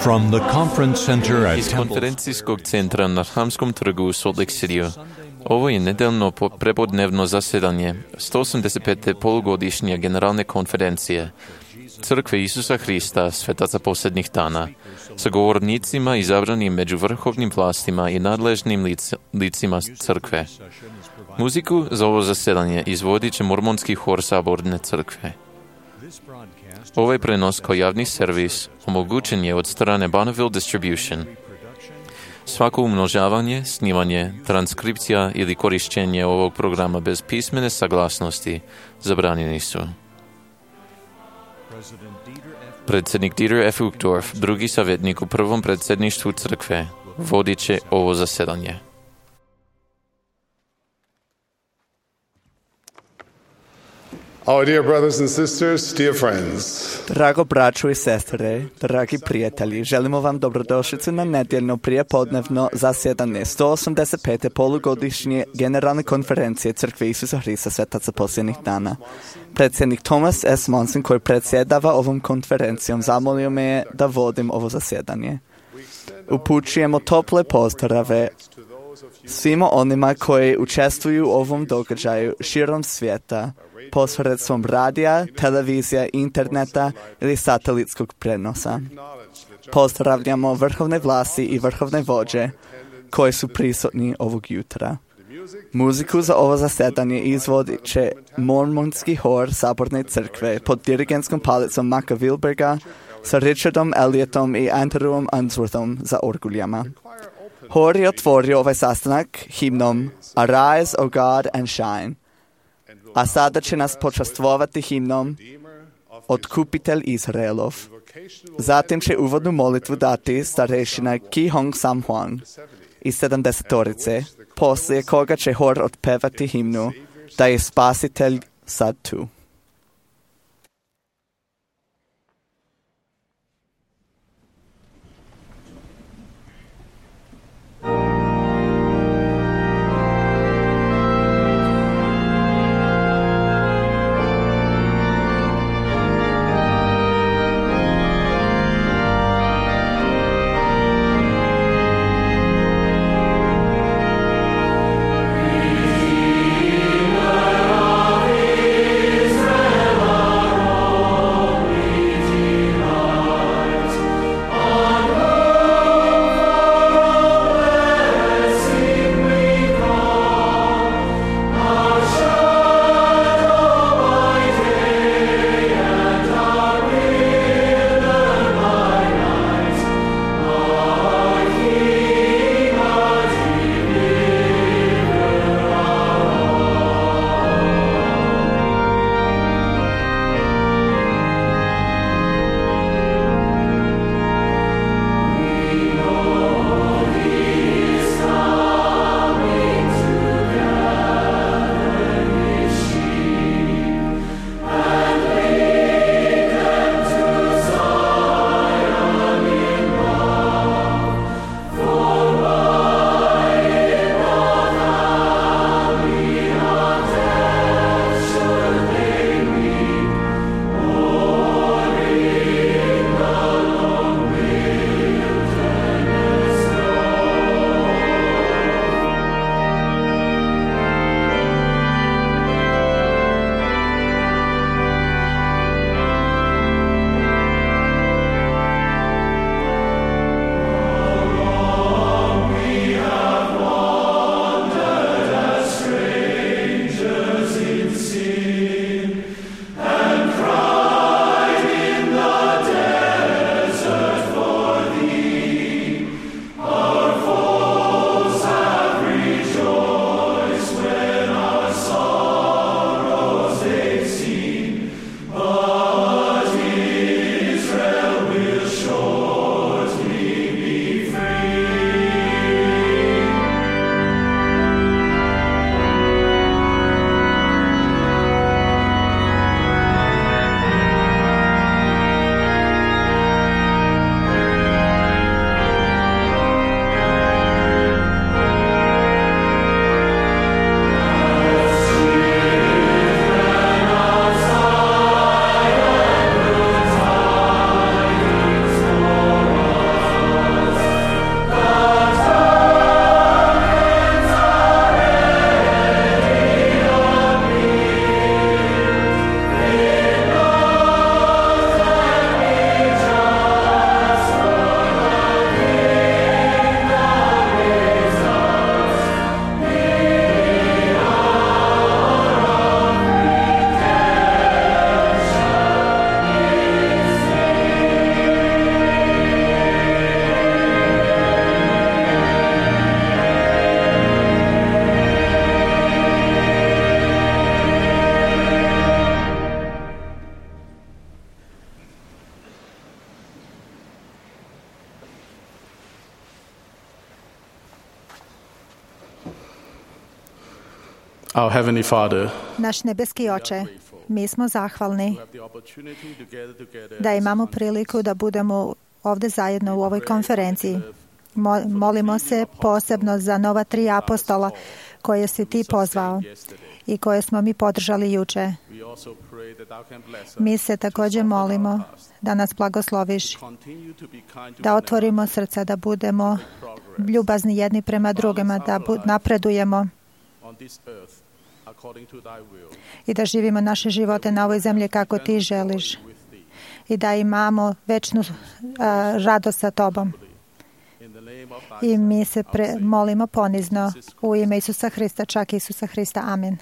From the conference center at Iz Temple konferencijskog centra na Hamskom trgu u Salt Lake Cityu. Ovo je nedeljno prepodnevno zasjedanje 185. polugodišnje generalne konferencije Crkve Isusa Hrista, svetaca posljednjih dana, sa govornicima izabranim među vrhovnim vlastima i nadležnim licima crkve. Muziku za ovo zasjedanje izvodit će mormonski hor Saborne crkve. Ovaj prenos kao javni servis omogućen je od strane Bonneville Distribution. Svako umnožavanje, snimanje, transkripcija ili korištenje ovog programa bez pismene saglasnosti zabranjeni su. Predsjednik Dieter F. Uchtdorf, drugi savjetnik u prvom predsjedništvu crkve, vodit će ovo zasjedanje. Our dear brothers and sisters, dear friends. Drago braćo i sestre, dragi prijatelji, želimo vam dobrodošlicu na nedjeljno prijepodnevno zasjedanje 185. polugodišnje generalne konferencije Crkve Isusa Hrista, svetaca posljednjih dana. Predsjednik Thomas S. Monson, koji predsjedava ovom konferencijom, zamolio me je da vodim ovo zasjedanje. Upućujemo tople pozdrave svima onima koji učestvuju u ovom događaju širom svijeta, posredstvom radija, televizija, interneta ili satelitskog prenosa. Pozdravljamo vrhovne vlasti i vrhovne vođe koji su prisutni ovog jutra. Muziku za ovo zasjedanje izvodit će mormonski hor Saborne crkve pod dirigentskom palicom Maka Wilberga sa Richardom Elliotom i Andrewom Unsworthom za orguljama. Hor je otvorio ovaj sastanak himnom Arise, O God, and Shine. A sada će nas počastvovati himnom Otkupitelj Izraelov. Zatim će uvodnu molitvu dati starešina Ki Hong Sam Huang iz 70-torice, poslije koga će hor otpevati himnu da je Spasitelj sad tu. Is Our Heavenly Father, Naš nebeski Oče, mi smo zahvalni da imamo priliku da budemo ovdje zajedno u ovoj konferenciji. Molimo se posebno za nova 3 apostola koje si ti pozvao i koje smo mi podržali juče. Mi se također molimo da nas blagosloviš, da otvorimo srca, da budemo ljubazni jedni prema drugima, da napredujemo i da živimo naše živote na ovoj zemlji kako ti želiš i da imamo večnu radost sa tobom. I mi se molimo ponizno u ime Isusa Hrista, čak Isusa Hrista. Amen.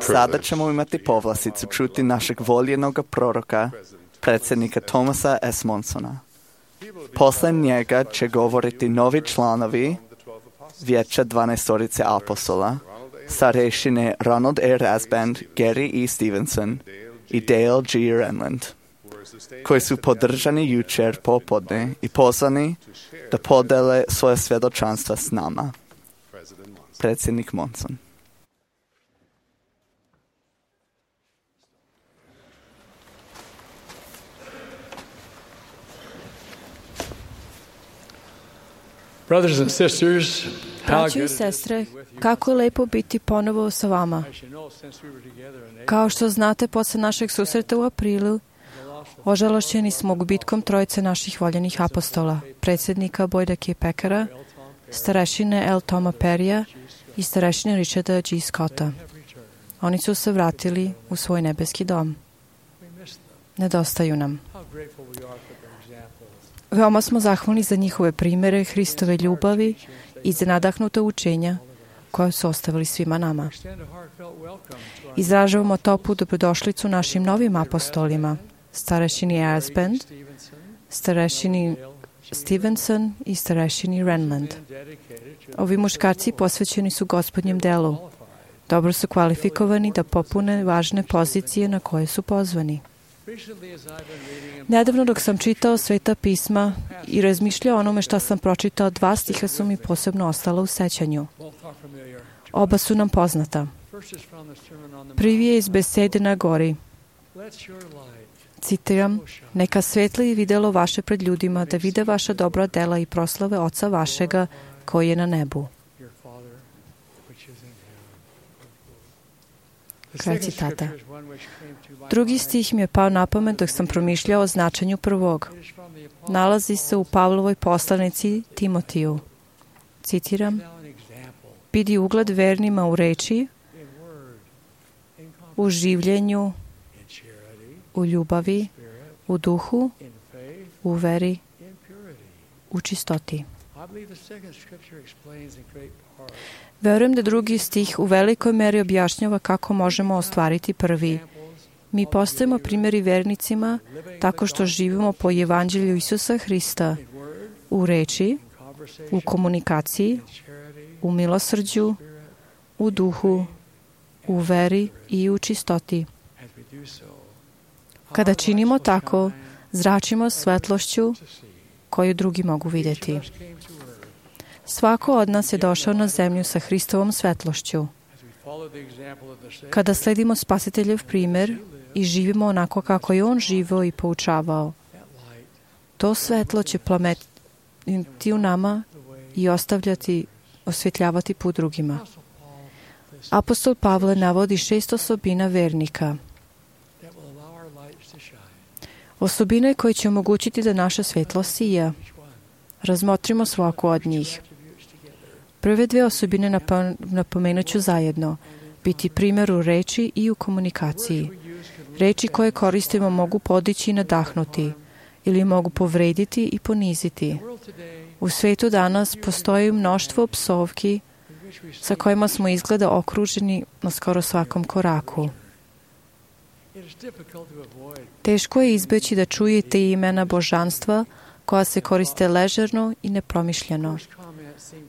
Sada ćemo imati povlasticu čuti našeg voljenog proroka, predsjednika Thomasa S. Monsona. Posle njega će govoriti novi članovi Vijeća 12 apostola, starešine Ronald A. Rasband, Gary E. Stevenson i Dale G. Renland, koji su podržani jučer popodne i pozvani da podele svoje svjedočanstva s nama. Predsjednik Monson. Brothers and sisters, braćo i sestre, kako je lepo biti ponovo sa vama. Kao što znate, posle našeg susreta u aprilu, Ožalošćeni smo gubitkom trojice naših voljenih apostola, predsjednika Boyda K. Packera, starešine L. Toma Perrya i starešine Richarda G. Scotta. Oni su se vratili u svoj nebeski dom. Nedostaju nam. Veoma smo zahvalni za njihove primere Hristove ljubavi i za nadahnuta učenja koje su ostavili svima nama. Izražavamo toplu dobrodošlicu našim novim apostolima, starešini Asband, starešini Stevenson i starešini Renland. Ovi muškarci posvećeni su Gospodnjem delu. Dobro su kvalifikovani da popune važne pozicije na koje su pozvani. Nedavno dok sam čitao Sveta pisma i razmišljao o onome što sam pročitao, 2 stiha su mi posebno ostala u sećanju. Oba su nam poznata. Prvi je iz besede na gori. Citiram, neka svetli videlo vaše pred ljudima, da vide vaša dobra dela i proslave Oca vašega koji je na nebu. Kraj citata. Drugi stih mi je pao na pamet dok sam promišljao o značenju prvog. Nalazi se u Pavlovoj poslanici Timotiju. Citiram, bidi ugled vernima u reči, u življenju, u ljubavi, u duhu, u veri, u čistoti. Verujem da drugi stih u velikoj meri objašnjava kako možemo ostvariti prvi. Mi postajemo primjeri vernicima tako što živimo po evanđelju Isusa Hrista u reči, u komunikaciji, u milosrđu, u duhu, u veri i u čistoti. Kada činimo tako, zračimo svetlošću koju drugi mogu vidjeti. Svako od nas je došao na zemlju sa Hristovom svetlošću. Kada sledimo Spasiteljev primjer i živimo onako kako je On živio i poučavao, to svetlo će plametiti u nama i osvjetljavati put drugima. Apostol Pavle navodi 6 osobina vernika. Osobine koje će omogućiti da naša svjetlo sija. Razmotrimo svaku od njih. Prve 2 osobine napomenut ću zajedno. Biti primjer u reči i u komunikaciji. Reči koje koristimo mogu podići i nadahnuti ili mogu povrediti i poniziti. U svijetu danas postoji mnoštvo psovki sa kojima smo izgleda okruženi na skoro svakom koraku. Teško je izbeći da čujete imena božanstva koja se koriste ležerno i nepromišljeno.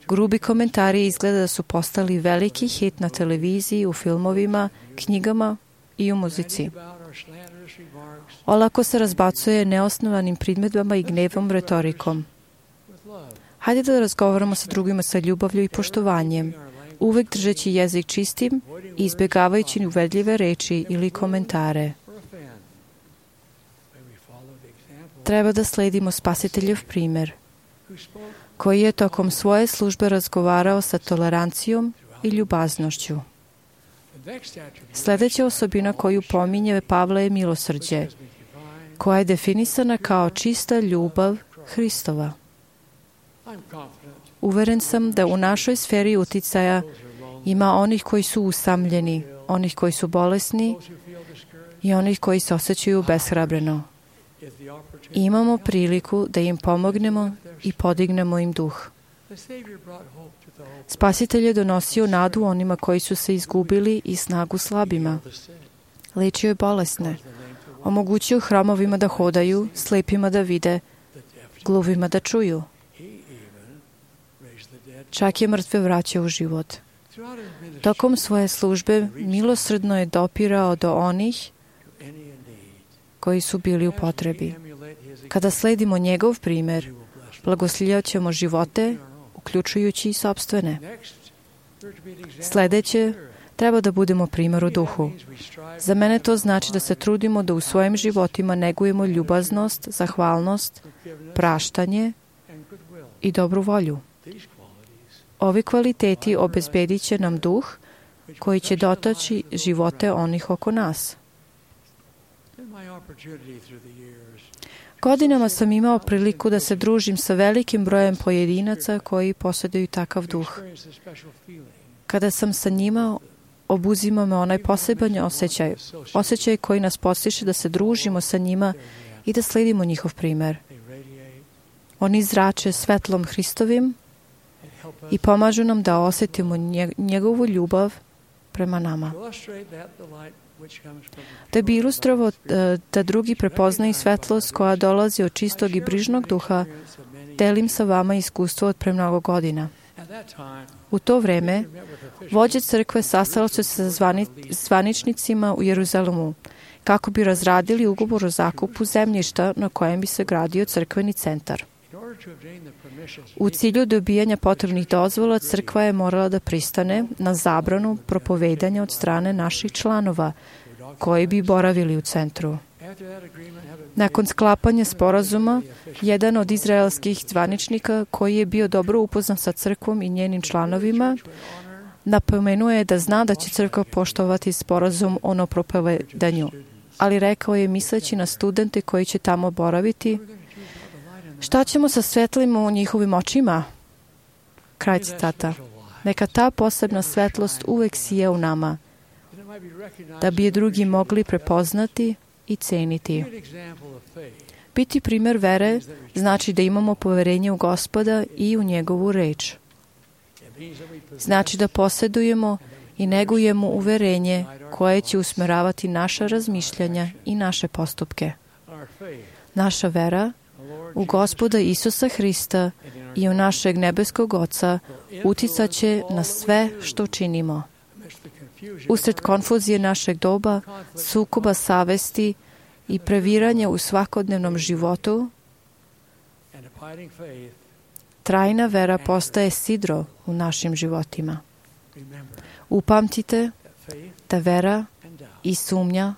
Grubi komentari izgleda da su postali veliki hit na televiziji, u filmovima, knjigama i u muzici. Olako se razbacuje neosnovanim primjedbama i gnevom retorikom. Hajde da razgovaramo sa drugima sa ljubavlju i poštovanjem, uvek držeći jezik čistim i izbjegavajući uvredljive reči ili komentare. Treba da sledimo Spasiteljev primjer, koji je tokom svoje službe razgovarao sa tolerancijom i ljubaznošću. Sljedeća osobina koju pominje Pavle je milosrđe, koja je definisana kao čista ljubav Hristova. Uveren sam da u našoj sferi uticaja ima onih koji su usamljeni, onih koji su bolesni i onih koji se osjećaju beshrabreno. Imamo priliku da im pomognemo i podignemo im duh. Spasitelj je donosio nadu onima koji su se izgubili i snagu slabima. Lečio je bolesne. Omogućio hromovima da hodaju, slepima da vide, gluvima da čuju. Čak je mrtve vraćao u život. Tokom svoje službe milosrdno je dopirao do onih koji su bili u potrebi. Kada sledimo njegov primjer, blagoslivljat ćemo živote, uključujući i sopstvene. Sljedeće, treba da budemo primjer u duhu. Za mene to znači da se trudimo da u svojim životima negujemo ljubaznost, zahvalnost, praštanje i dobru volju. Ovi kvaliteti obezbedit će nam duh koji će dotaći živote onih oko nas. Godinama sam imao priliku da se družim sa velikim brojem pojedinaca koji posjeduju takav duh. Kada sam sa njima, obuzima me onaj poseban osjećaj koji nas postiže da se družimo sa njima i da sledimo njihov primer. Oni zrače svetlom Hristovim i pomažu nam da osjetimo njegovu ljubav prema nama. Da bi ilustrovao da drugi prepoznaju svetlost koja dolazi od čistog i brižnog duha, delim sa vama iskustvo od pre mnogo godina. U to vreme, vođe crkve sastalo se sa zvaničnicima u Jeruzalemu kako bi razradili ugovor o zakupu zemljišta na kojem bi se gradio crkveni centar. U cilju dobijanja potrebnih dozvola, crkva je morala da pristane na zabranu propovedanja od strane naših članova koji bi boravili u centru. Nakon sklapanja sporazuma, jedan od izraelskih zvaničnika koji je bio dobro upoznan sa crkvom i njenim članovima, napomenuo je da zna da će crkva poštovati sporazum o nepropovedanju, ali rekao je misleći na studente koji će tamo boraviti: šta ćemo sa svetlima u njihovim očima? Kraj citata. Neka ta posebna svetlost uvek sije u nama, da bi je drugi mogli prepoznati i ceniti. Biti primer vere znači da imamo poverenje u Gospoda i u njegovu reč. Znači da posjedujemo i negujemo uverenje koje će usmeravati naša razmišljanja i naše postupke. Naša vera u Gospoda Isusa Hrista i u našeg nebeskog Oca uticat će na sve što činimo. Usred konfuzije našeg doba, sukoba savesti i previranja u svakodnevnom životu, trajna vera postaje sidro u našim životima. Upamtite da vera i sumnja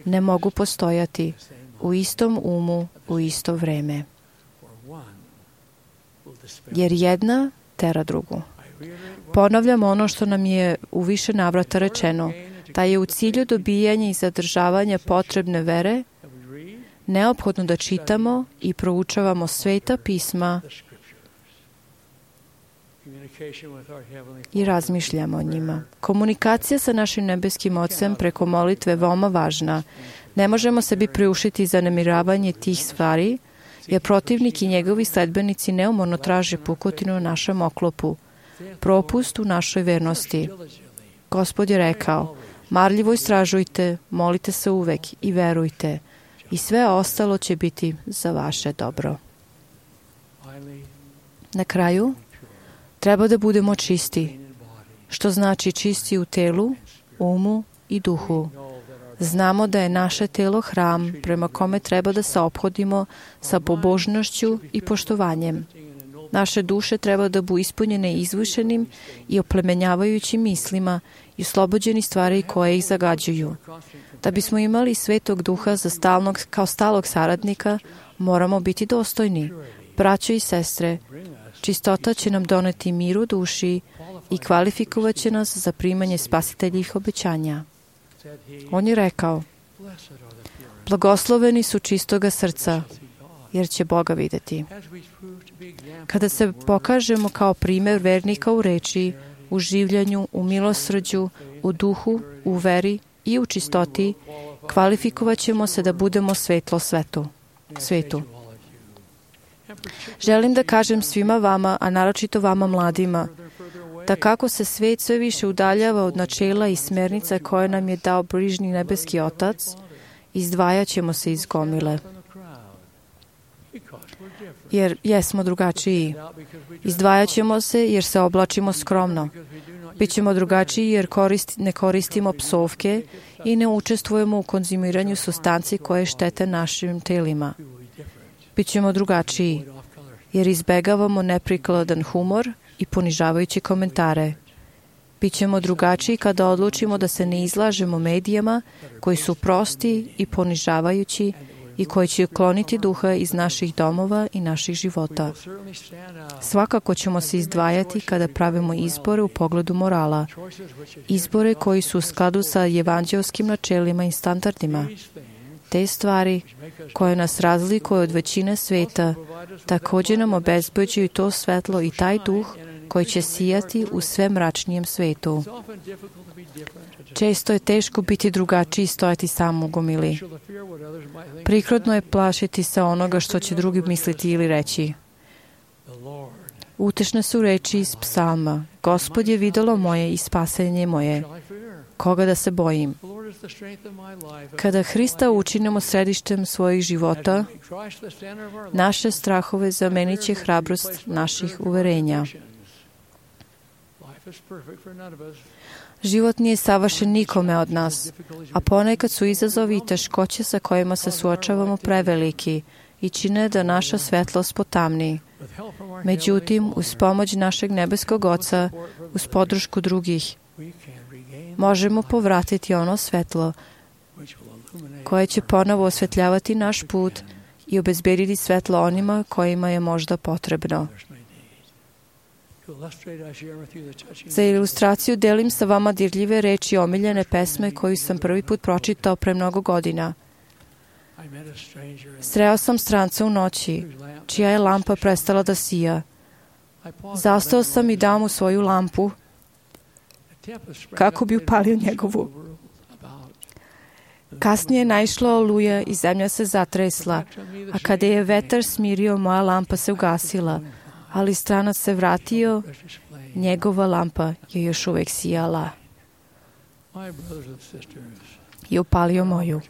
ne mogu postojati u istom umu u isto vreme, jer jedna tera drugu. Ponavljam ono što nam je u više navrata rečeno, da je u cilju dobijanja i zadržavanja potrebne vere neophodno da čitamo i proučavamo sveta pisma i razmišljamo o njima. Komunikacija sa našim nebeskim Ocem preko molitve je veoma važna. Ne možemo sebi priuštiti zanemiravanje tih stvari, jer protivnik i njegovi sledbenici neumorno traže pukotinu u našem oklopu, propust u našoj vernosti. Gospod je rekao: marljivo istražujte, molite se uvek i verujte, i sve ostalo će biti za vaše dobro. Na kraju, treba da budemo čisti, što znači čisti u telu, umu i duhu. Znamo da je naše telo hram prema kome treba da se ophodimo sa pobožnošću i poštovanjem. Naše duše treba da budu ispunjene izvišenim i oplemenjavajućim mislima i oslobođeni stvari koje ih zagađuju. Da bismo imali Svetog Duha kao stalog saradnika, moramo biti dostojni. Braćo i sestre, čistota će nam doneti mir u duši i kvalifikovat će nas za primanje spasiteljih obećanja. On je rekao: blagosloveni su čistoga srca, jer će Boga videti. Kada se pokažemo kao primjer vernika u reči, u življenju, u milosrđu, u duhu, u veri i u čistoti, kvalifikovat ćemo se da budemo svetlo svetu. Želim da kažem svima vama, a naročito vama mladima, da kako se svet sve više udaljava od načela i smernica koje nam je dao brižni nebeski Otac, izdvajat ćemo se iz gomile. Jer jesmo drugačiji. Izdvajat ćemo se jer se oblačimo skromno. Bićemo drugačiji jer ne koristimo psovke i ne učestvujemo u konzumiranju supstanci koje štete našim telima. Bićemo drugačiji jer izbegavamo neprikladan humor i ponižavajuće komentare. Bićemo drugačiji kada odlučimo da se ne izlažemo medijama koji su prosti i ponižavajući i koji će ukloniti duha iz naših domova i naših života. Svakako ćemo se izdvajati kada pravimo izbore u pogledu morala, izbore koji su u skladu sa evanđelskim načelima i standardima. Te stvari koje nas razlikuju od većine sveta također nam obezbeđuju to svetlo i taj duh koji će sijati u sve mračnijem svetu. Često je teško biti drugačiji i stojati sam u gomili. Prikrodno je plašiti se onoga što će drugi misliti ili reći. Utešne su reči iz psalma. Gospod je videlo moje i spasenje moje. Koga da se bojim? Kada Hrista učinimo središtem svojih života, naše strahove zamenit će hrabrost naših uverenja. Život nije savršen nikome od nas, a ponekad su izazovi i teškoće sa kojima se suočavamo preveliki i čine da naša svetlost potamni. Međutim, uz pomoć našeg nebeskog Oca, uz podršku drugih, možemo povratiti ono svetlo koje će ponovo osvetljavati naš put i obezbediti svetlo onima kojima je možda potrebno. Za ilustraciju delim sa vama dirljive reči omiljene pesme koju sam prvi put pročitao pre mnogo godina. Sreo sam stranca u noći, čija je lampa prestala da sija. Zastao sam i dao mu svoju lampu, kako bi upalio njegovu. Kasnije je naišla oluja i zemlja se zatresla, a kada je vetar smirio, moja lampa se ugasila, ali stranac se vratio, njegova lampa je još uvek sijala i upalio moju.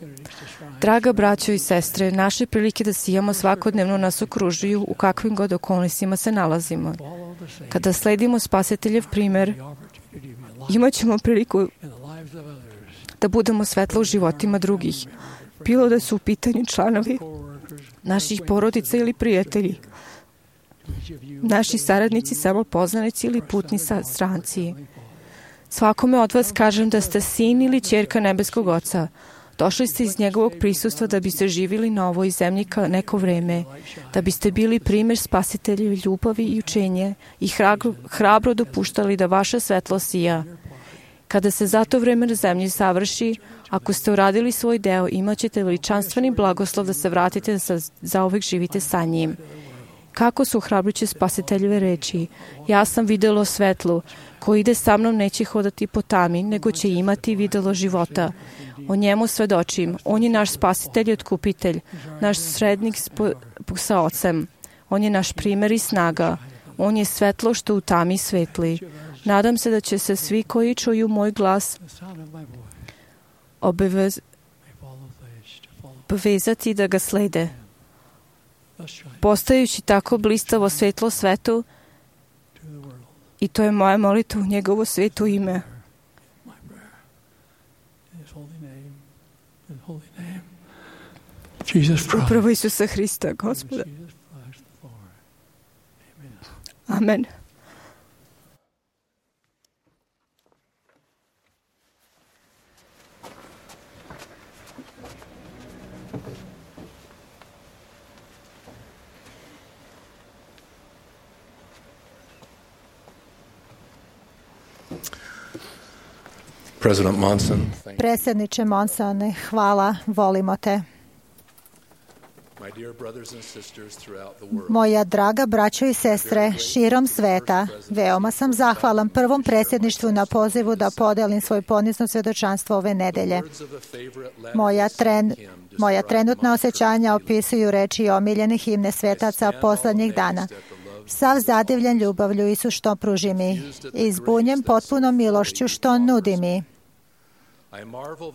Draga braćo i sestre, naše prilike da sijamo svakodnevno nas okružuju u kakvim god okolnostima se nalazimo. Kada sledimo Spasiteljev primer, imat ćemo priliku da budemo svetlo u životima drugih, bilo da su u pitanju članovi naših porodica ili prijatelji, naši saradnici, samopoznanici ili putni stranci. Svakome od vas kažem da ste sin ili ćerka nebeskog Oca. Došli ste iz njegovog prisustva da biste živjeli na ovoj zemlji neko vreme, da biste bili primjer Spasiteljeve ljubavi i učenje i hrabro dopuštali da vaša svetlo sija. Kada se za to vreme na zemlji savrši, ako ste uradili svoj deo, imat ćete veličanstveni blagoslov da se vratite da zauvek živite sa njim. Kako su hrabruće Spasiteljeve reči? Ja sam videlo svetlo, ko ide sa mnom neće hodati po tami, nego će imati videlo života. O njemu svedočim. On je naš Spasitelj i Otkupitelj, naš srednik sa Ocem. On je naš primer i snaga. On je svetlo što u tami svetli. Nadam se da će se svi koji čuju moj glas obavezati da ga slede. Postajući tako blistavo svetlo svetu, i to je moja molitva u njegovo sveto ime. Upravo Isusa Hrista, Gospoda. Amen. Predsjedniče Monsone, hvala, volimo te. Moja draga braćo i sestre širom sveta, veoma sam zahvalan prvom predsjedništvu na pozivu da podelim svoj ponizno svjedočanstvo ove nedelje. Moja trenutna osjećanja opisuju reči omiljenih himne svetaca poslednjih dana. Sav zadivljen ljubavlju Isus što pruži mi i zbunjen potpunom milošću što nudi mi.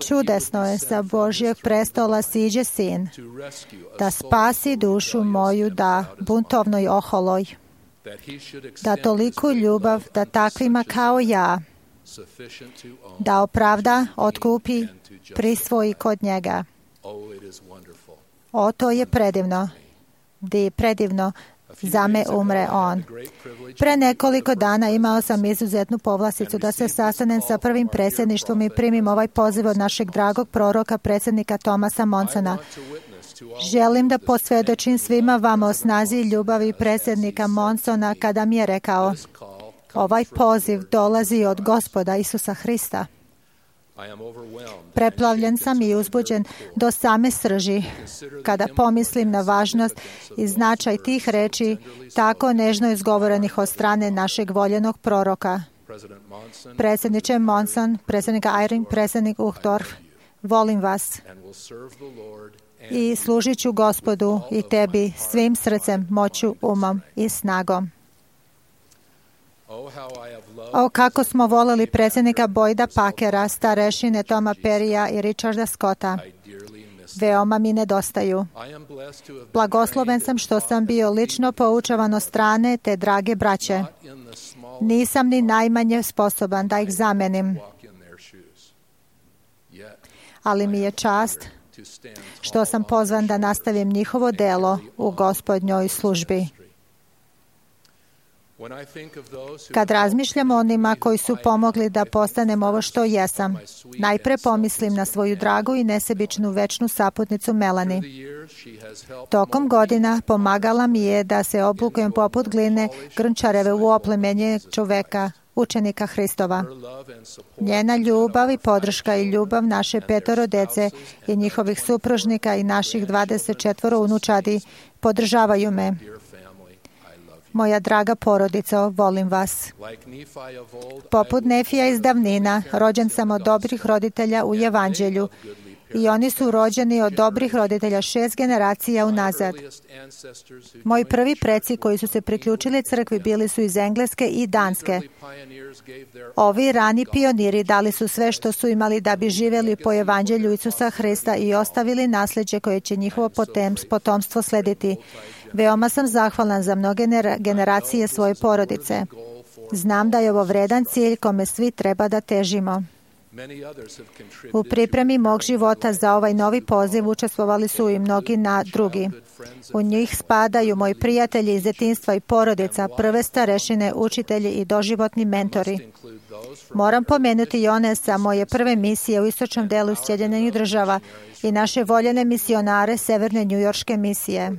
Čudesno je sa Božjeg prestola siđe sin, da spasi dušu moju da buntovnoj oholoj, da toliku ljubav da takvima kao ja, da opravda, otkupi, prisvoji kod njega. O, to je predivno, predivno. Za me umre on. Pre nekoliko dana imao sam izuzetnu povlasticu da se sastanem sa prvim predsjedništvom i primim ovaj poziv od našeg dragog proroka, predsjednika Thomasa Monsona. Želim da posvjedočim svima vama o snazi i ljubavi predsjednika Monsona kada mi je rekao: ovaj poziv dolazi od Gospoda Isusa Hrista. Preplavljen sam i uzbuđen do same srži kada pomislim na važnost i značaj tih reči tako nežno izgovorenih od strane našeg voljenog proroka. Predsjedniče Monson, predsjednika Eyring, predsjednik Uchtdorf, volim vas i služit ću Gospodu i tebi svim srcem, moću, umom i snagom. O, kako smo voleli predsjednika Boyda Packera, starešine Toma Perrya i Richarda Scotta. Veoma mi nedostaju. Blagosloven sam što sam bio lično poučavan od strane te drage braće. Nisam ni najmanje sposoban da ih zamenim. Ali mi je čast što sam pozvan da nastavim njihovo delo u Gospodnjoj službi. Kad razmišljam o onima koji su pomogli da postanem ovo što jesam, najpre pomislim na svoju dragu i nesebičnu večnu saputnicu Melanie. Tokom godina pomagala mi je da se oblikujem poput gline grnčareve u oplemenje čoveka, učenika Hristova. Njena ljubav i podrška i ljubav naše 5 dece i njihovih supružnika i naših 24 unučadi podržavaju me. Moja draga porodico, volim vas. Poput Nefija iz davnina, rođen sam od dobrih roditelja u Evanđelju i oni su rođeni od dobrih roditelja 6 generacija unazad. Moji prvi preci koji su se priključili crkvi bili su iz Engleske i Danske. Ovi rani pioniri dali su sve što su imali da bi živjeli po Evanđelju Isusa Hrista i ostavili nasljeđe koje će njihovo potomstvo slediti. Veoma sam zahvalan za mnoge generacije svoje porodice. Znam da je ovo vredan cilj kome svi treba da težimo. U pripremi mog života za ovaj novi poziv učestvovali su i mnogi drugi. U njih spadaju moji prijatelji iz djetinjstva i porodica, prve starešine, učitelji i doživotni mentori. Moram pomenuti i one sa moje prve misije u istočnom delu Sjedinjenih Država i naše voljene misionare Severne njujorške misije.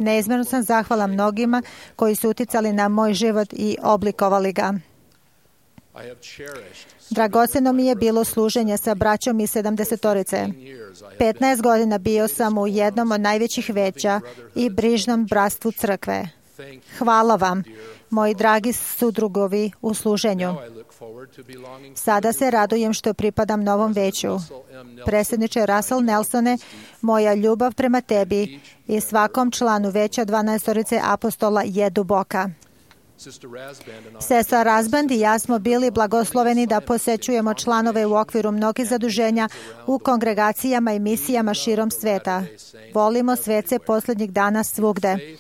Neizmjerno sam zahvala mnogima koji su uticali na moj život i oblikovali ga. Dragoceno mi je bilo služenje sa braćom iz 70-torice. 15 godina bio sam u jednom od najvećih veća i brižnom bratstvu crkve. Hvala vam, moji dragi sudrugovi u služenju. Sada se radujem što pripadam novom veću. Predsjedniče Russell Nelsone, moja ljubav prema tebi i svakom članu veća 12-torice apostola je duboka. Sestra Razband i ja smo bili blagosloveni da posećujemo članove u okviru mnogih zaduženja u kongregacijama i misijama širom sveta. Volimo svece posljednjih dana svugde.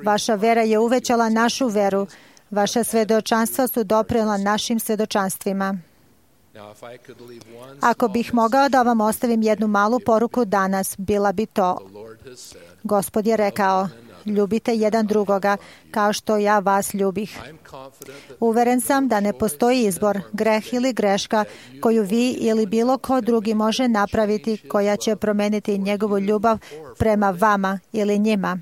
Vaša vera je uvećala našu veru. Vaša svedočanstva su doprinijela našim svedočanstvima. Ako bih mogao da vam ostavim jednu malu poruku danas, bila bi to: Gospod je rekao, ljubite jedan drugoga kao što ja vas ljubih. Uveren sam da ne postoji izbor, greh ili greška koju vi ili bilo ko drugi može napraviti koja će promeniti njegovu ljubav prema vama ili njima.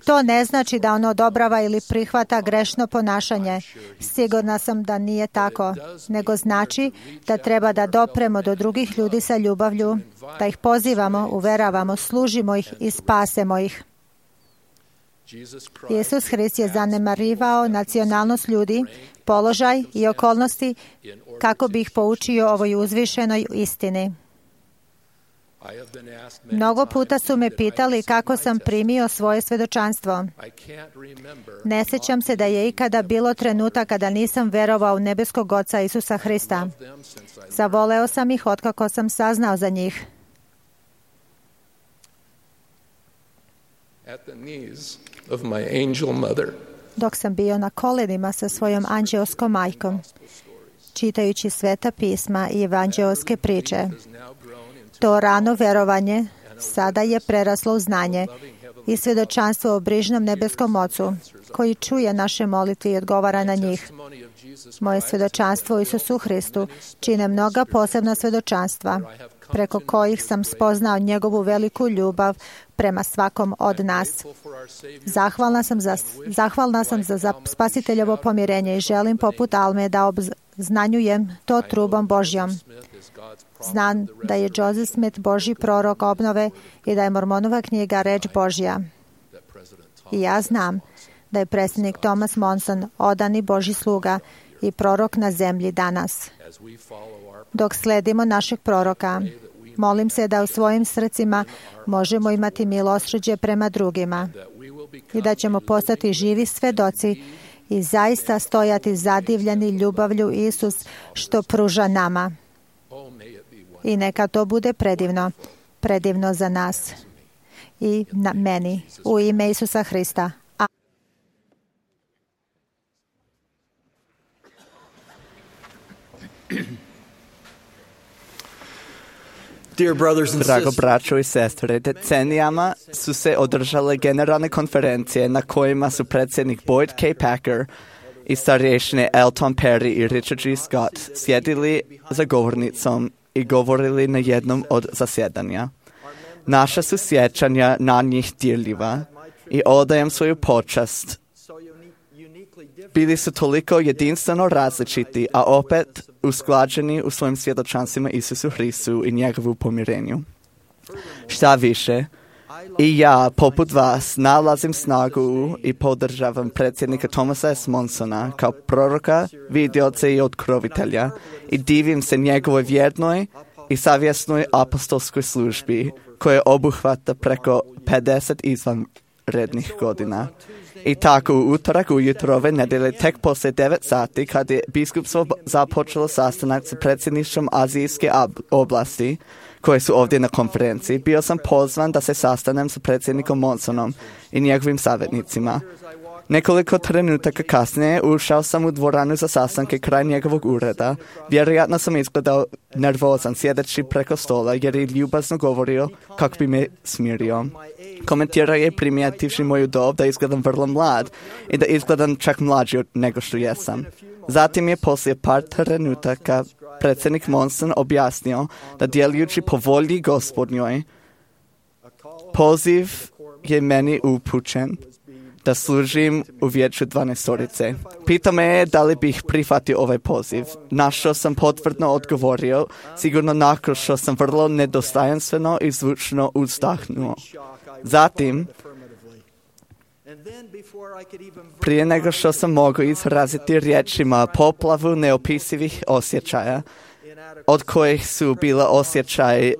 To ne znači da on odobrava ili prihvata grešno ponašanje. Sigurna sam da nije tako, nego znači da treba da dopremo do drugih ljudi sa ljubavlju, da ih pozivamo, uveravamo, služimo ih i spasemo ih. Isus Hrist je zanemarivao nacionalnost ljudi, položaj i okolnosti kako bi ih poučio ovoj uzvišenoj istini. Mnogo puta su me pitali kako sam primio svoje svedočanstvo. Ne sjećam se da je ikada bilo trenutak kada nisam verovao u nebeskog Oca Isusa Hrista. Zavoleo sam ih otkako sam saznao za njih. Dok sam bio na kolenima sa svojom anđeoskom majkom, čitajući sveta pisma i evanđeoske priče, to rano verovanje sada je preraslo u znanje i svjedočanstvo o brižnom nebeskom Ocu, koji čuje naše molitve i odgovara na njih. Moje svjedočanstvo u Isusu Hristu čine mnoga posebna svjedočanstva, preko kojih sam spoznao njegovu veliku ljubav prema svakom od nas. Zahvalna sam za spasiteljevo pomirenje i želim poput Alme da Znanjujem to trubom Božjom. Znam da je Joseph Smith Božji prorok obnove i da je Mormonova knjiga reč Božja. I ja znam da je predsjednik Thomas Monson odani Božji sluga i prorok na zemlji danas. Dok sledimo našeg proroka, molim se da u svojim srcima možemo imati milosrđe prema drugima i da ćemo postati živi svedoci i zaista stojati zadivljeni ljubavlju Isus što pruža nama. I neka to bude predivno za nas i na meni, u ime Isusa Hrista. Drago braćo i sestre, decenijama su se održale generalne konferencije na kojima su predsjednik Boyd K. Packer i starješine Elton Perry i Richard G. Scott sjedili za govornicom i govorili na jednom od zasjedanja. Naša su sjećanja na njih dirljiva i odajem svoju počast. Bili su toliko jedinstveno različiti, a opet usklađeni u svojim svjedočanstvima Isusu Hristu i njegovu pomirenju. Šta više, i ja, poput vas, nalazim snagu i podržavam predsjednika Thomasa S. Monsona kao proroka, vidioca i otkrovitelja i divim se njegovoj vjernoj i savjesnoj apostolskoj službi koja obuhvata preko 50 izvanrednih godina. I tako u utorak ujutro ove nedelje, tek poslije 9 sati, kad je biskupstvo započelo sastanak sa predsjedništvom Azijske oblasti, koje su ovdje na konferenciji, bio sam pozvan da se sastanem sa predsjednikom Monsonom i njegovim savjetnicima. Nekoliko trenutaka kasnije ušao sam u dvoranu za sastanke kraj njegovog ureda. Vjerojatno sam izgledao nervozan sjedeći preko stola jer je ljubazno govorio kako bi me smirio. Komentirao je primijetivši moju dob da izgledam vrlo mlad i da izgledam čak mlađi nego što jesam. Zatim je poslije par trenutaka predsjednik Monson objasnio da djelujući po volji Gospodnjoj, poziv je meni upućen da služim u vijeću 12-orice. Pitao me je da li bih prihvatio ovaj poziv, na što sam potvrdno odgovorio, sigurno nakon što sam vrlo nedostojanstveno i zvučno uzdahnuo. Zatim, prije nego što sam mogao izraziti riječima poplavu neopisivih osjećaja, od kojih su bila osjećaj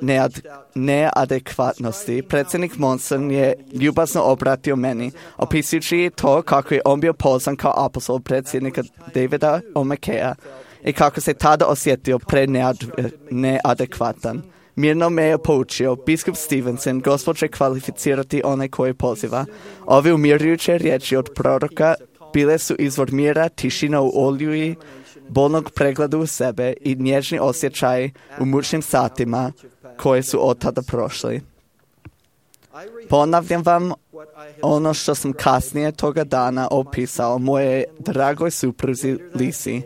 neadekvatnosti, predsjednik Monson je ljubazno obratio meni, opisujući to kako je on bio pozvan kao apostol predsjednika Davida O'Mackaya i kako se tada osjetio neadekvatan. Mirno me je poučio, biskup Stevenson, Gospod će kvalificirati onaj koji poziva. Ove umirujuće riječi od proroka bile su izvor mira, tišina u oljuji, bolnog pregleda u sebe i nježni osjećaj u mučnim satima koje su od tada prošli. Ponavljam vam ono što sam kasnije toga dana opisao moje dragoj supruzi Lisi.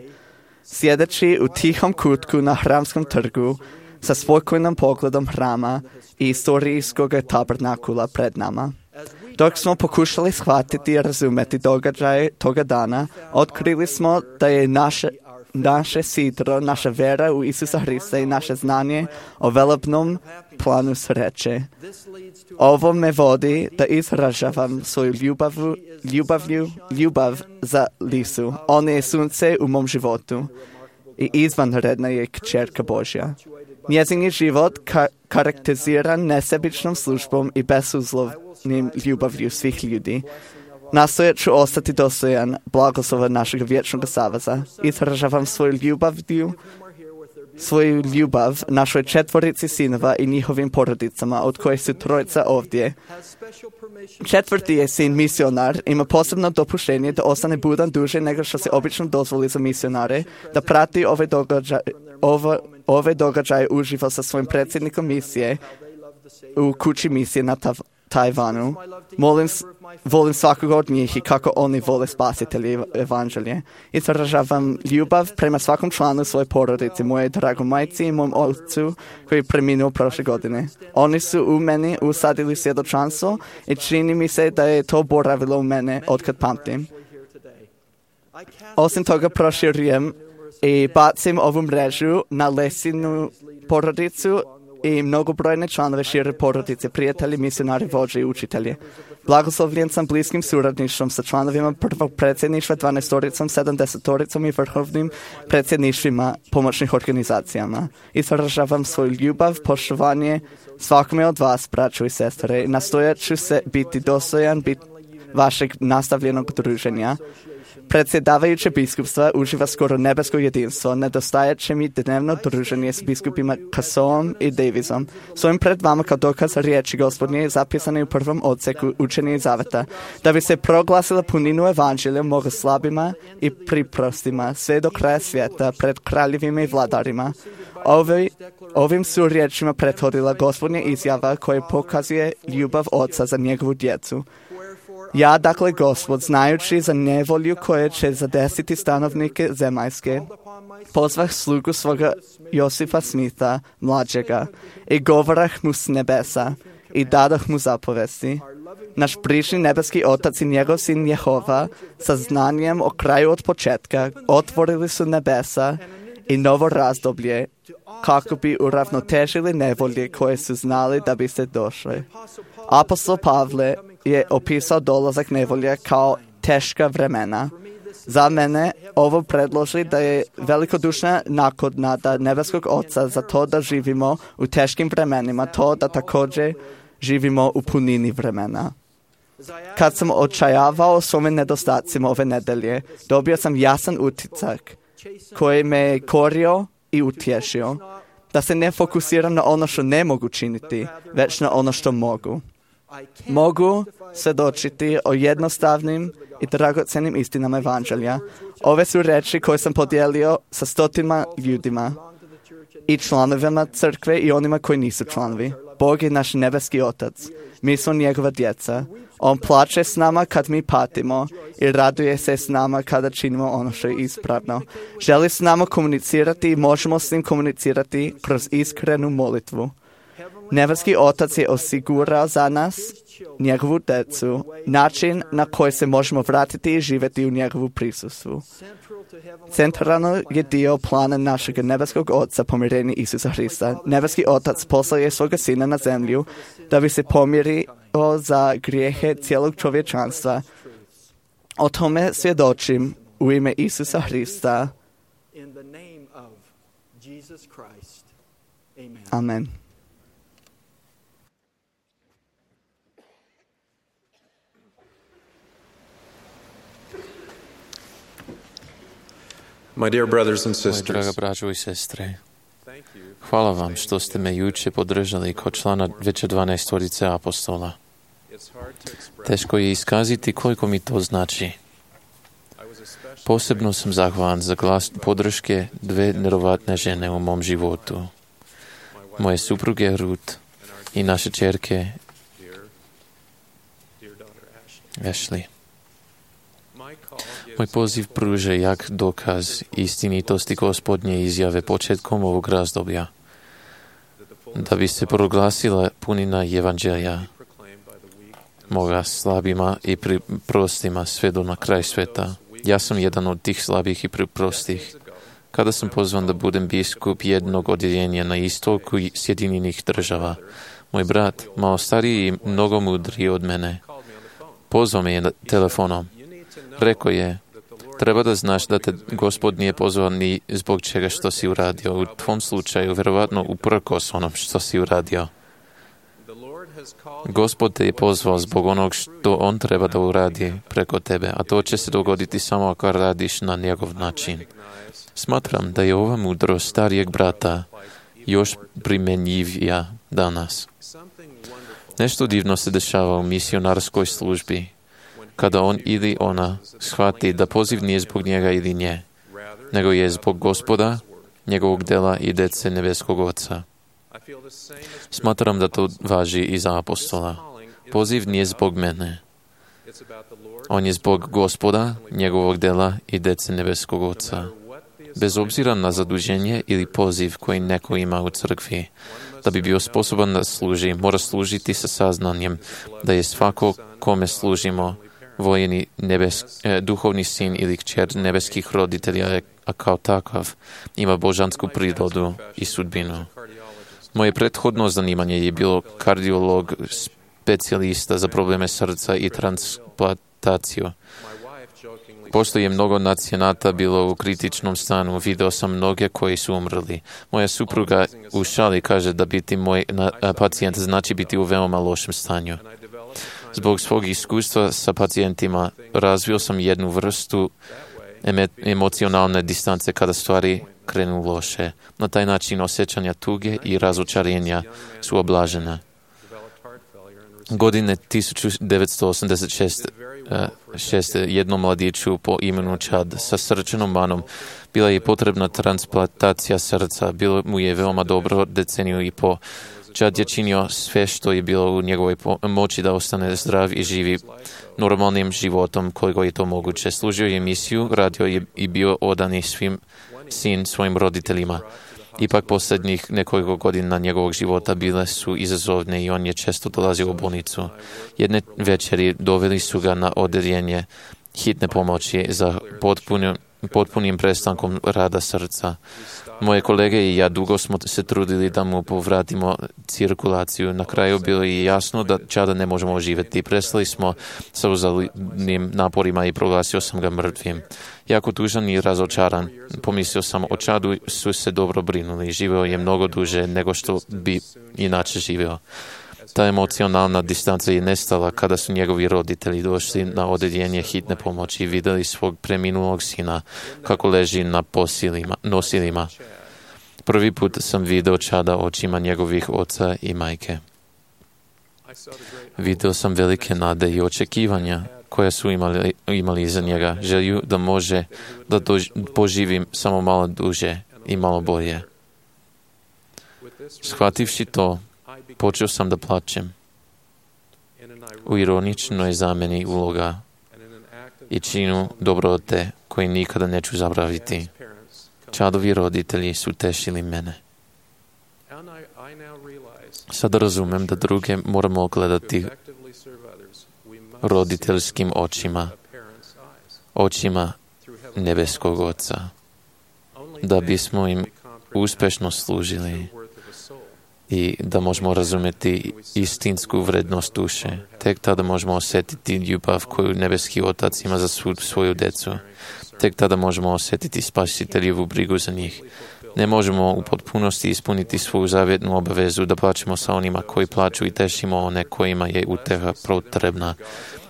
Sjedeći u tihom kutku na Hramskom trgu sa spokojnom pogledom hrama i istorijskog tabernakula pred nama. Dok smo pokušali shvatiti i razumjeti događaje toga dana, otkrili smo da je naše sidro, naša vera u Isusa Hrista i naše znanje o velebnom planu sreće. Ovo me vodi da izražavam svoju ljubav za Lisu. Ona je sunce u mom životu i izvanredna je kćerka Božja. Njezin je život karakteriziran nesebičnom službom i bezuslovnim ljubavlju svih ljudi. Nastojat ću ostati dostojan blagoslova našeg vječnog saveza. Izražavam svoju ljubav našoj 4 sinova i njihovim porodicama, od kojih su 3 ovdje. 4. je sin misionar, ima posebno dopuštenje da ostane budan duže nego što se obično dozvoli za misionare, da prati ove događaje uživo sa svojim predsjednikom misije u kući misije na Tajvanu. Volim svakoga od njih i kako oni vole spasitelje evanđelje. Izražavam ljubav prema svakom članu svoje porodice, moje drago majci i mom ocu koji je preminuo prošle godine. Oni su u meni usadili svjedočanstvo i čini mi se da je to boravilo u mene otkad pamtim. Osim toga proširujem i bacim ovu mrežu na Lesinu porodicu i mnogobrojne članove šire porodice, prijatelji, misionari, vođe i učitelji. Blagoslovljen sam bliskim suradništvom sa članovima prvog predsjedništva, 12-oricom, 70-oricom i vrhovnim predsjedništvima pomoćnih organizacijama. Izražavam svoju ljubav, poštovanje svakome od vas, braćo i sestre. Nastojat ću se biti dostojan vašeg nastavljenog druženja. Predsjedavajuće biskupstva uživa skoro nebesko jedinstvo. Nedostajat će mi dnevno druženje s biskupima Kassoom i Davisom. Svojim pred vama kao dokaz riječi Gospodnje zapisane u prvom odseku učenja i zaveta, da bi se proglasila puninu evanđelja mogu slabima i priprostima sve do kraja svijeta pred kraljevima i vladarima. Ovim su riječima prethodila Gospodnja izjava koja pokazuje ljubav Oca za njegovu djecu. Ja, dakle, Gospod, znajući za nevolju koja će zadesiti stanovnike zemaljske, pozvah slugu svoga Josifa Smitha, mlađega, i govorah mu s nebesa, i dadah mu zapovesti. Naš bližnji nebeski Otac i njegov sin Jehova, sa znanjem o kraju od početka, otvorili su nebesa i novo razdoblje, kako bi uravnotežili nevolje koje su znali da bi se došle. Apostol Pavle je opisao dolazak nevolje kao teška vremena. Za mene ovo predloži da je velikodušna naknada nebeskog Oca za to da živimo u teškim vremenima, to da također živimo u punini vremena. Kad sam očajavao svome nedostacima ove nedelje, dobio sam jasan utisak koji me je korio i utješio, da se ne fokusiram na ono što ne mogu činiti, već na ono što mogu. Mogu svjedočiti o jednostavnim i dragocenim istinama evanđelja. Ove su reči koje sam podijelio sa stotima ljudima i članovima crkve i onima koji nisu članovi. Bog je naš nebeski Otac. Mi smo njegova djeca. On plače s nama kad mi patimo i raduje se s nama kada činimo ono što je ispravno. Želi s nama komunicirati i možemo s njim komunicirati kroz iskrenu molitvu. Nebeski Otac je osigurao za nas, njegovu djecu, način na koji se možemo vratiti i živjeti u njegovu prisustvu. Centralno je dio plana našeg nebeskog Oca pomirenja Isusa Hrista. Nebeski Otac poslao je svoga Sina na zemlju da bi se pomirio za grijehe cijelog čovječanstva. O tome svjedočim u ime Isusa Hrista. Amen. My dear brothers and Moji draga sisters, braćo i sestre, hvala vam što ste me juče podržali kao člana veće 12 apostola. Teško je iskazati koliko mi to znači. Posebno sam zahvalan za glas podrške dve nevjerovatne žene u mom životu. Moje supruge Ruth i naše čerke Ashley. Moj poziv pruža jak dokaz istinitosti Gospodnje izjave početkom ovog razdoblja, da bi se proglasila punina evanđelja moga slabima i prostima sve do na kraj sveta. Ja sam jedan od tih slabih i prostih. Kada sam pozvan da budem biskup jednog odjeljenja na istoku Sjedinjenih Država, moj brat, malo stariji i mnogo mudriji od mene, pozvao me je telefonom. Rekao je, treba da znaš da te Gospod nije pozvao ni zbog čega što si uradio. U tvom slučaju, vjerovatno uprkos onom što si uradio. Gospod te je pozvao zbog onog što on treba da uradi preko tebe, a to će se dogoditi samo ako radiš na njegov način. Smatram da je ova mudrost starijeg brata još primenjivija danas. Nešto divno se dešava u misionarskoj službi, kada on ili ona shvati da poziv nije zbog njega ili nje, nego je zbog Gospoda, njegovog dela i dece nebeskog Oca. Smatram da to važi i za apostola. Poziv nije zbog mene. On je zbog Gospoda, njegovog dela i dece nebeskog Oca. Bez obzira na zaduženje ili poziv koji neko ima u crkvi, da bi bio sposoban da služi, mora služiti sa saznanjem da je svako kome služimo vojeni duhovni sin ili kćer nebeskih roditelja, a kao takav ima božansku prirodu i sudbinu. Moje prethodno zanimanje je bilo kardiolog, specijalista za probleme srca i transplantaciju. Pošto je mnogo nacionata bilo u kritičnom stanu, video sam mnoge koji su umrli. Moja supruga u šali kaže da biti moj pacijent znači biti u veoma lošem stanju. Zbog svog iskustva sa pacijentima razvio sam jednu vrstu emocionalne distance kada stvari krenu loše. Na taj način osjećanja tuge i razočarenja su oblažene. Godine 1986. jednom mladiću po imenu Chad sa srčanom manom bila je potrebna transplantacija srca. Bilo mu je veoma dobro deceniju i po. Chad je činio sve što je bilo u njegovoj moći da ostane zdrav i živi normalnim životom koliko je to moguće. Služio je misiju, radio je i bio odani sin svojim roditeljima. Ipak posljednjih nekoliko godina njegovog života bile su izazovne i on je često dolazio u bolnicu. Jedne večeri doveli su ga na odeljenje hitne pomoći za potpunim prestankom rada srca. Moje kolege i ja dugo smo se trudili da mu povratimo cirkulaciju. Na kraju bilo je jasno da Chada ne možemo oživjeti. Prestali smo sa uzaludnim naporima i proglasio sam ga mrtvim. Jako tužan i razočaran. Pomislio sam, o Chadu su se dobro brinuli. Živeo je mnogo duže nego što bi inače živeo. Ta emocionalna distanca je nestala kada su njegovi roditelji došli na odeljenje hitne pomoći i vidjeli svog preminulog sina kako leži na nosilima. Prvi put sam vidio Chada očima njegovih oca i majke. Vidio sam velike nade i očekivanja koja su imali iza njega, želju da može da poživim samo malo duže i malo bolje. Shvativši to, počeo sam da plačem. U ironičnoj zameni uloga i činu dobrote koji nikada neću zaboraviti. Chadovi roditelji su tešili mene. Sada razumem da druge moramo gledati roditeljskim očima nebeskog Oca, da bismo im uspešno služili i da možemo razumjeti istinsku vrednost duše. Tek tada možemo osjetiti ljubav koju nebeski Otac ima za svoju decu. Tek tada možemo osjetiti spasiteljevu brigu za njih. Ne možemo u potpunosti ispuniti svoju zavjetnu obavezu da plačemo sa onima koji plaču i tešimo one kojima je uteha potrebna,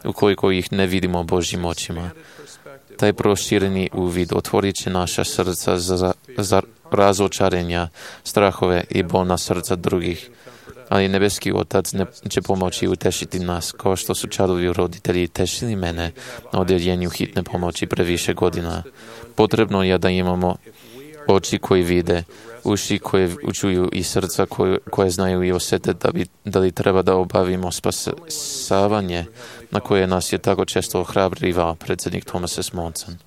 ukoliko ih ne vidimo Božjim očima. Taj prošireni uvid otvorit će naša srca za razočarenja, strahove i bolna srca drugih, ali nebeski Otac će pomoći utešiti nas, kao što su Chadovi roditelji tešili mene na odjeljenju hitne pomoći previše godina. Potrebno je da imamo oči koji vide, uši koje čuju i srca koje znaju i osjete da li treba da obavimo spasavanje na koje nas je tako često ohrabrivao predsjednik Thomas S. Monson.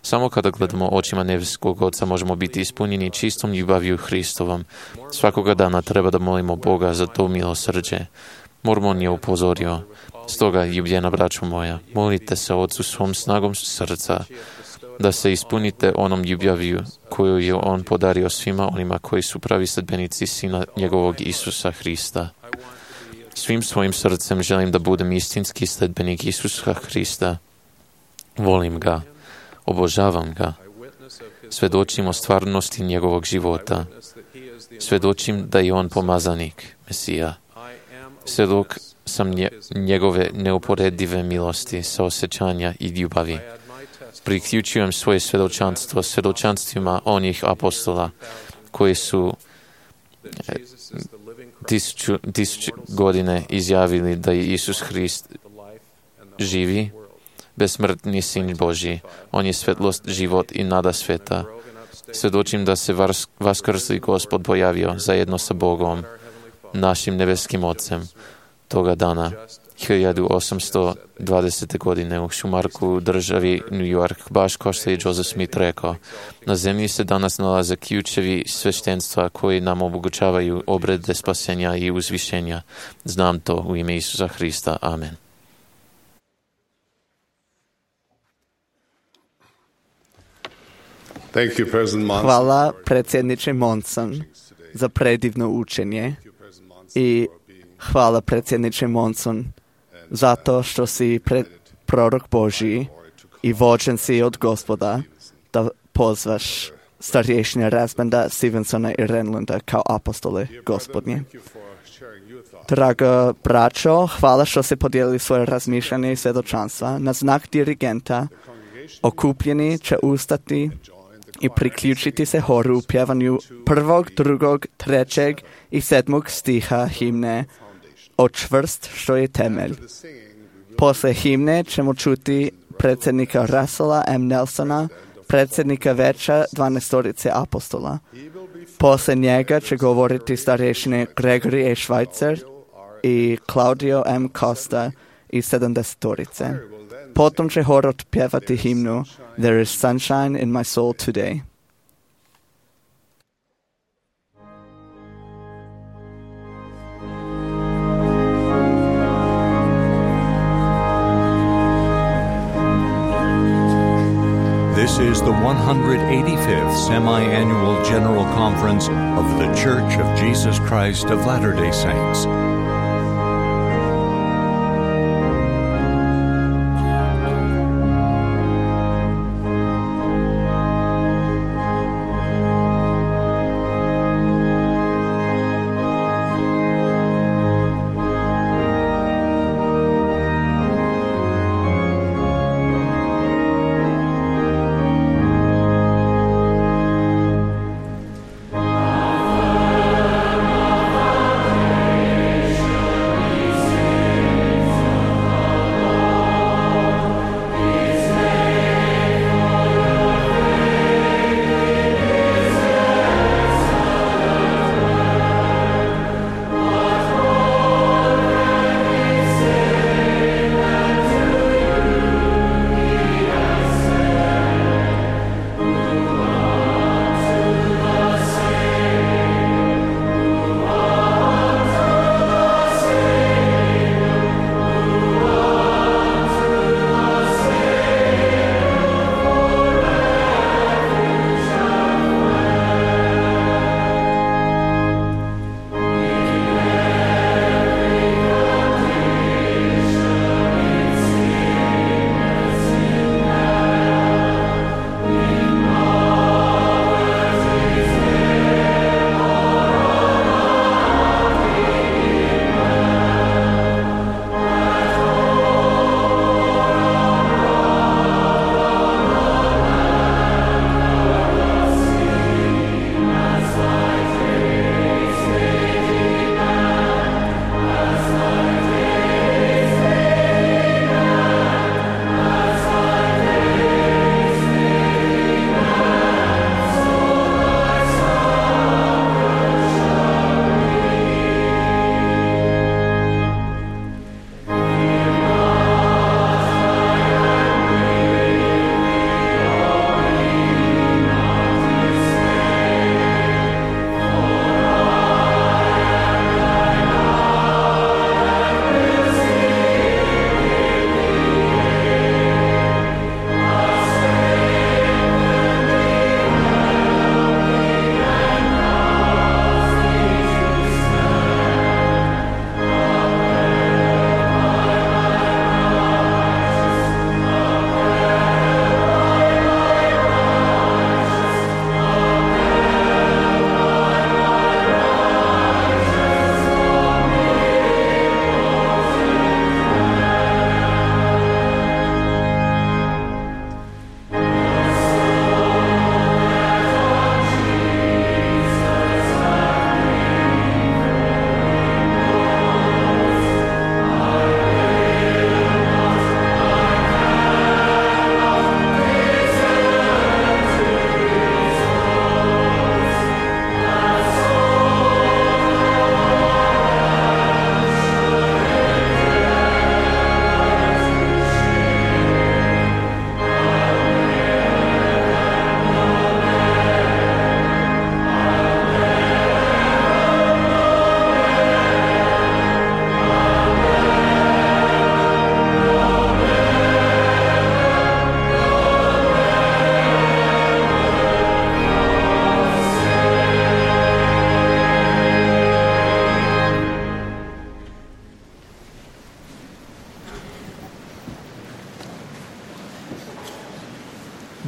Samo kada gledamo očima nebeskog Oca možemo biti ispunjeni čistom ljubavlju Hristovom. Svakoga dana treba da molimo Boga za to milosrđe. Mormon je upozorio. Stoga, ljubljena braćo moja, molite se Otcu svom snagom srca, da se ispunite onom ljubavlju koju je On podario svima onima koji su pravi sledbenici Sina njegovog Isusa Hrista. Svim svojim srcem želim da budem istinski sledbenik Isusa Hrista. Volim ga, obožavam ga. Svedočim o stvarnosti njegovog života. Svedočim da je On pomazanik, Mesija. Svjedok sam njegove neuporedive milosti, saosjećanja i ljubavi. Priključujem svoje svjedočanstvo svjedočanstvima onih apostola koji su tisuću godine izjavili da je Isus Hrist živi, besmrtni Sin Božji. On je svjetlost, život i nada sveta. Svjedočim da se vaskrsli Gospod pojavio zajedno sa Bogom, našim nebeskim Ocem, toga dana, 1820. godine u Šumarku, državi New York, baš kao što je Joseph Smith rekao. Na zemlji se danas nalaze ključevi sveštenstva koji nam omogućavaju obrede spasenja i uzvišenja. Znam to u ime Isusa Hrista. Amen. Thank you, President Monson. Hvala predsjedniče Monson za predivno učenje i hvala predsjedniče Monson zato što si prorok Božji i vođen si od Gospoda da pozvaš starješine Rasbanda, Stevensona i Renlunda kao apostole Gospodnje. Draga braćo, hvala što ste podijelili svoje razmišljanje i svjedočanstva. Na znak dirigenta okupljeni će ustati i priključiti se horu u pjevanju 1., 2., 3. i 7. stiha himne O čvrst što je temelj. Posle himne ćemo čuti predsjednika Russella M. Nelsona, predsjednika Veća 12 apostola. Posle njega će govoriti starješine Gregory A. Schweitzer i Claudio M. Costa i 70. Potom će hor otpjevati himnu There is sunshine in my soul today. This is the 185th Semi-Annual General Conference of The Church of Jesus Christ of Latter-day Saints.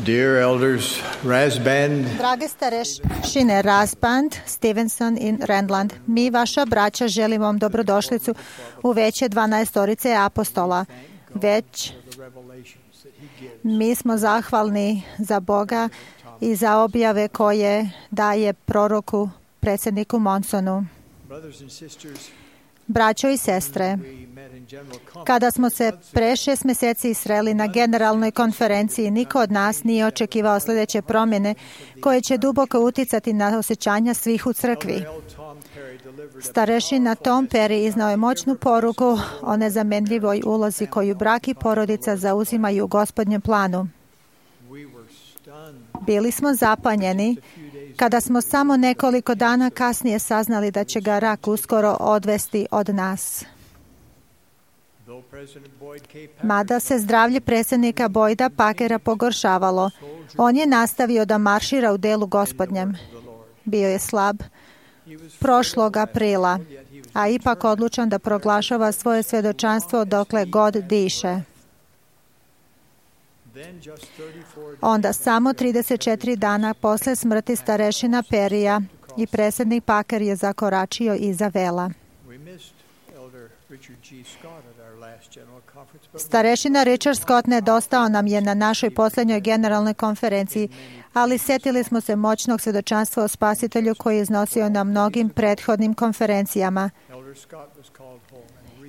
Dear elders, Rasband, Drage starešine Rasband, Stevenson i Randland, mi, vaša braća, želimo vam dobrodošlicu u veće 12 apostola. Mi smo zahvalni za Boga i za objave koje daje proroku predsjedniku Monsonu. Braćo i sestre, kada smo se pre 6 mjeseci sreli na generalnoj konferenciji, niko od nas nije očekivao sljedeće promjene koje će duboko uticati na osjećanja svih u crkvi. Starešina Tom Perry iznao je moćnu poruku o nezamenljivoj ulozi koju brak i porodica zauzimaju u Gospodnjem planu. Bili smo zapanjeni kada smo samo nekoliko dana kasnije saznali da će ga rak uskoro odvesti od nas. Mada se zdravlje predsjednika Boyda Packera pogoršavalo, on je nastavio da maršira u delu Gospodnjem. Bio je slab prošlog aprila, a ipak odlučan da proglašava svoje svjedočanstvo dokle god diše. Onda samo 34 dana posle smrti starešina Perija i predsjednik Packer je zakoračio iza vela. Starešina Richard Scott nedostao nam je na našoj posljednjoj generalnoj konferenciji, ali sjetili smo se moćnog svjedočanstva o Spasitelju koji je iznosio na mnogim prethodnim konferencijama.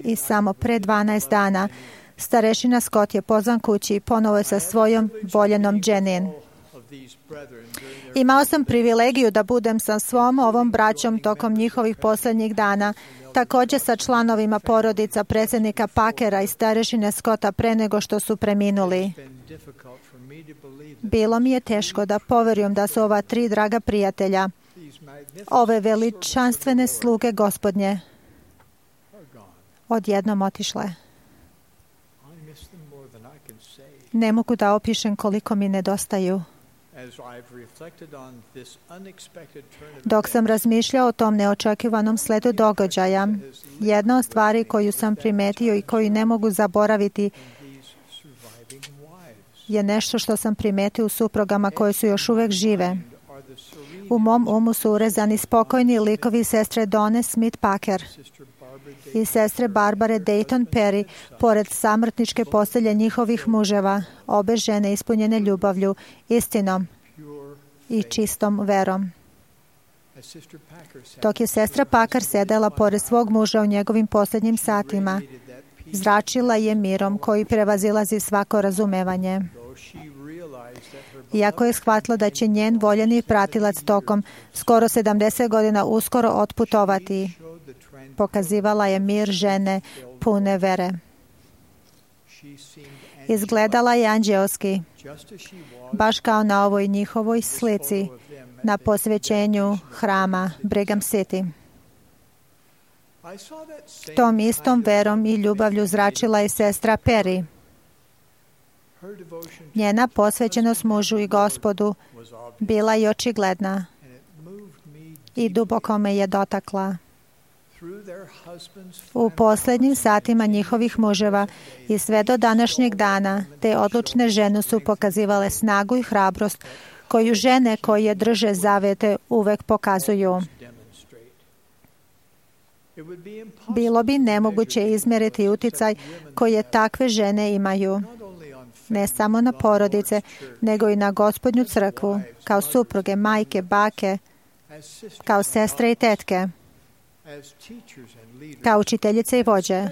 I samo pre 12 dana starešina Scott je pozvan kući i ponovo je sa svojom voljenom Jenin. Imao sam privilegiju da budem sa svom ovom braćom tokom njihovih posljednjih dana, također sa članovima porodica predsjednika Packera i starešine Scotta pre nego što su preminuli. Bilo mi je teško da poverujem da su ova 3 draga prijatelja, ove veličanstvene sluge Gospodnje, odjednom otišle. Ne mogu da opišem koliko mi nedostaju. Dok sam razmišljao o tom neočekivanom sledu događaja, jedna od stvari koju sam primetio i koju ne mogu zaboraviti je nešto što sam primetio u suprugama koje su još uvijek žive. U mom umu su urezani spokojni likovi sestre Donne Smith Packer i sestre Barbare Dayton Perry, pored samrtničke postelje njihovih muževa, obe žene ispunjene ljubavlju, istinom i čistom verom. Dok je sestra Packer sedela pored svog muža u njegovim posljednjim satima, zračila je mirom koji prevazilazi svako razumevanje. Iako je shvatila da će njen voljeni pratilac tokom skoro 70 godina uskoro otputovati, pokazivala je mir žene pune vere. Izgledala je anđeoski, baš kao na ovoj njihovoj slici na posvećenju hrama Brigham City. Tom istom verom i ljubavlju zračila je sestra Perry. Njena posvećenost mužu i Gospodu bila je očigledna i duboko me je dotakla. U posljednjim satima njihovih muževa i sve do današnjeg dana te odlučne žene su pokazivale snagu i hrabrost koju žene koje drže zavete uvek pokazuju. Bilo bi nemoguće izmjeriti uticaj koje takve žene imaju, ne samo na porodice, nego i na Gospodnju crkvu, kao supruge, majke, bake, kao sestre i tetke, kao učiteljice i vođe,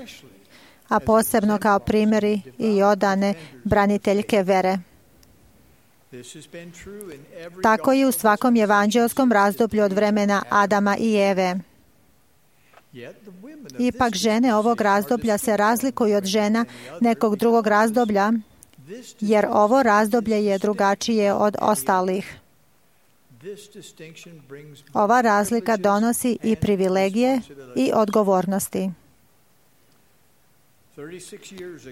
a posebno kao primjeri i odane braniteljke vere. Tako je u svakom evanđelskom razdoblju od vremena Adama i Eve. Ipak žene ovog razdoblja se razlikuju od žena nekog drugog razdoblja, jer ovo razdoblje je drugačije od ostalih. Ova razlika donosi i privilegije i odgovornosti.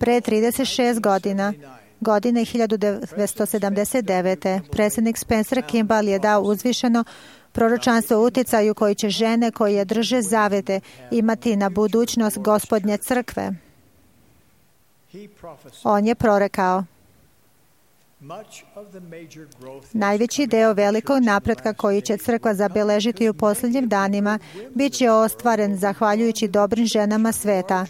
Pre 36 godina, godine 1979. predsjednik Spencer Kimball je dao uzvišeno proročanstvo o uticaju koji će žene koje drže zavete imati na budućnost Gospodnje crkve. On je prorekao: Najveći deo velikog napretka koji će crkva zabeležiti u posljednjim danima bit će ostvaren zahvaljujući dobrim ženama sveta,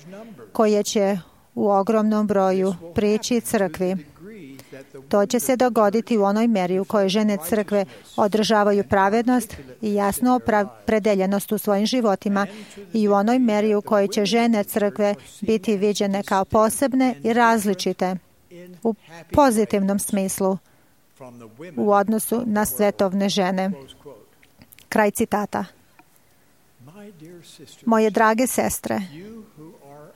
koje će u ogromnom broju prići crkvi. To će se dogoditi u onoj meri u kojoj žene crkve održavaju pravednost i jasnu opredeljenost u svojim životima i u onoj meri u kojoj će žene crkve biti viđene kao posebne i različite u pozitivnom smislu u odnosu na svetovne žene. Kraj citata. Moje drage sestre,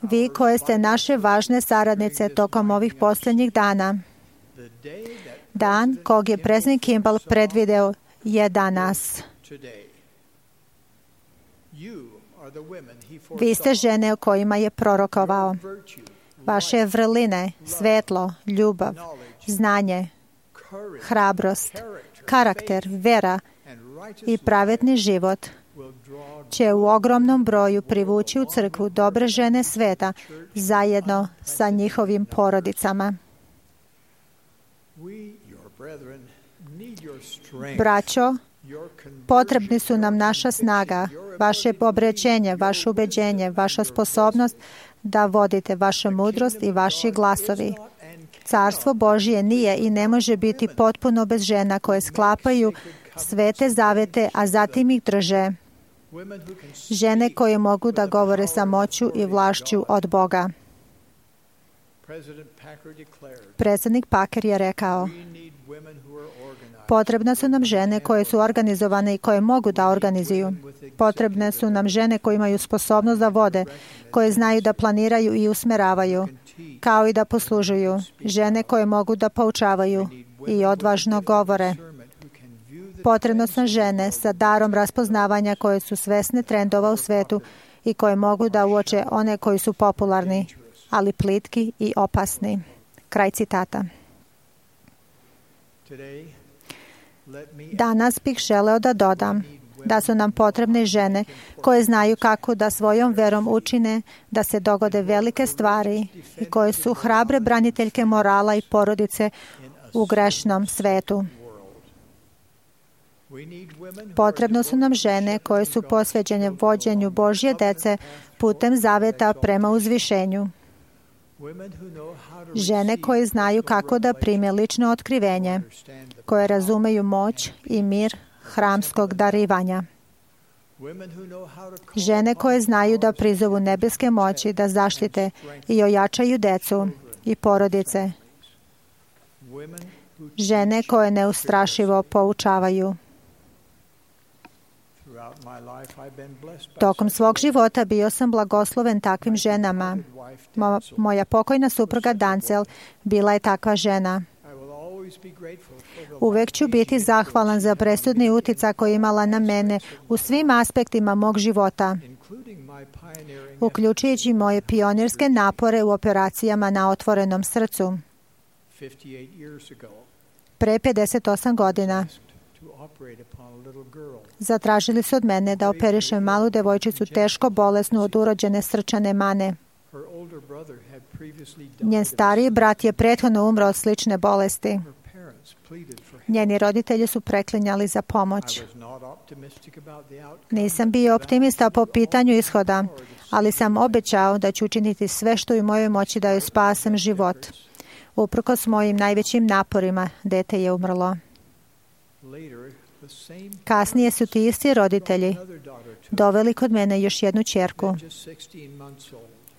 vi koje ste naše važne saradnice tokom ovih posljednjih dana, dan kog je predsjednik Kimball predvideo je danas. Vi ste žene o kojima je prorokovao. Vaše vrline, svetlo, ljubav, znanje, hrabrost, karakter, vera i pravedni život će u ogromnom broju privući u crkvu dobre žene sveta zajedno sa njihovim porodicama. Braćo, potrebni su nam naša snaga, vaše obrećenje, vaše ubeđenje, vaša sposobnost da vodite vaša mudrost i vaši glasovi. Carstvo Božje nije i ne može biti potpuno bez žena koje sklapaju svete zavete, a zatim ih drže. Žene koje mogu da govore sa moću i vlašću od Boga. Predsjednik Packer je rekao, potrebne su nam žene koje su organizovane i koje mogu da organizuju. Potrebne su nam žene koje imaju sposobnost da vode, koje znaju da planiraju i usmeravaju, kao i da poslužuju. Žene koje mogu da poučavaju i odvažno govore. Potrebno su žene sa darom raspoznavanja koje su svesne trendova u svetu i koje mogu da uoče one koji su popularni, ali plitki i opasni. Kraj citata. Danas bih želeo da dodam da su nam potrebne žene koje znaju kako da svojom verom učine da se dogode velike stvari i koje su hrabre braniteljke morala i porodice u grešnom svetu. Potrebno su nam žene koje su posvećene vođenju Božje dece putem zaveta prema uzvišenju. Žene koje znaju kako da prime lično otkrivenje, koje razumeju moć i mir hramskog darivanja. Žene koje znaju da prizovu nebeske moći da zaštite i ojačaju decu i porodice. Žene koje neustrašivo poučavaju. Tokom svog života bio sam blagosloven takvim ženama. Moja pokojna supruga Dancel bila je takva žena. Uvek ću biti zahvalan za presudni uticaj koji je imala na mene u svim aspektima mog života, uključujući moje pionirske napore u operacijama na otvorenom srcu. Pre 58 godina zatražili su od mene da operišem malu devojčicu teško bolesnu od urođene srčane mane. Njen stariji brat je prethodno umro od slične bolesti. Njeni roditelji su preklinjali za pomoć. Nisam bio optimista po pitanju ishoda, ali sam obećao da ću učiniti sve što je u mojoj moći da joj spasem život. Uprkos mojim najvećim naporima, dete je umrlo. Kasnije su ti isti roditelji doveli kod mene još jednu ćerku,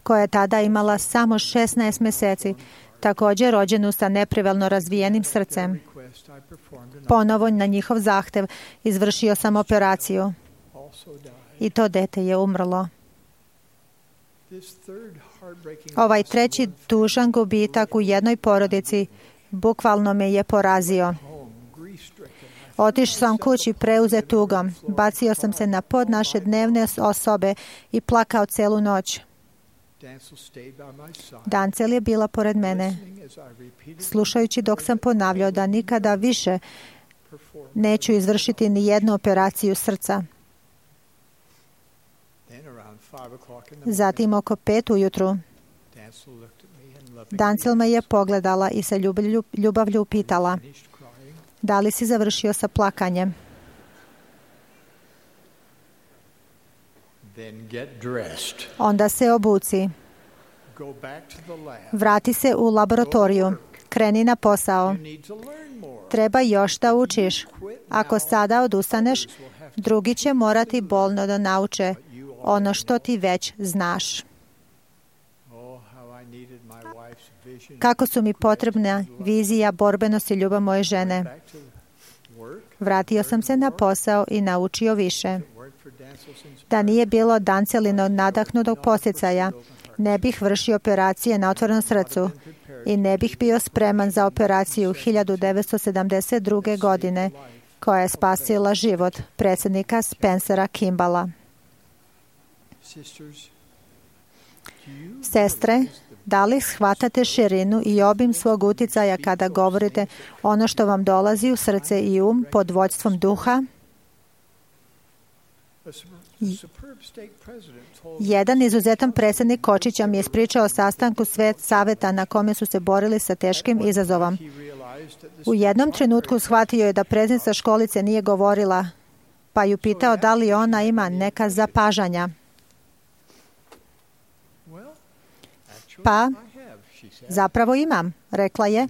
koja je tada imala samo 16 mjeseci, također rođenu sa nepravilno razvijenim srcem. Ponovo na njihov zahtev izvršio sam operaciju i to dete je umrlo. Ovaj treći tužan gubitak u jednoj porodici bukvalno me je porazio. Otišao sam kući preuzet tugom, bacio sam se na pod naše dnevne osobe i plakao celu noć. Dancel je bila pored mene, slušajući dok sam ponavljao da nikada više neću izvršiti ni jednu operaciju srca. Zatim oko 5 ujutru Dancil me je pogledala i sa ljubavlju upitala: da li si završio sa plakanjem? Onda se obuci. Vrati se u laboratoriju. Kreni na posao. Treba još da učiš. Ako sada odustaneš, drugi će morati bolno da nauče ono što ti već znaš. Kako su mi potrebna vizija, borbenost i ljubav moje žene. Vratio sam se na posao i naučio više. Da nije bilo Dancilinog nadahnutog posticaja, ne bih vršio operacije na otvorenom srcu i ne bih bio spreman za operaciju 1972. godine koja je spasila život predsjednika Spencera Kimballa. Sestre, da li shvatate širinu i obim svog uticaja kada govorite ono što vam dolazi u srce i um pod vođstvom duha? Jedan izuzetan predsjednik Kočića mi je ispričao o sastanku saveta na kome su se borili sa teškim izazovom. U jednom trenutku shvatio je da predsjednica školice nije govorila, pa ju pitao da li ona ima neka zapažanja. Pa, zapravo imam, rekla je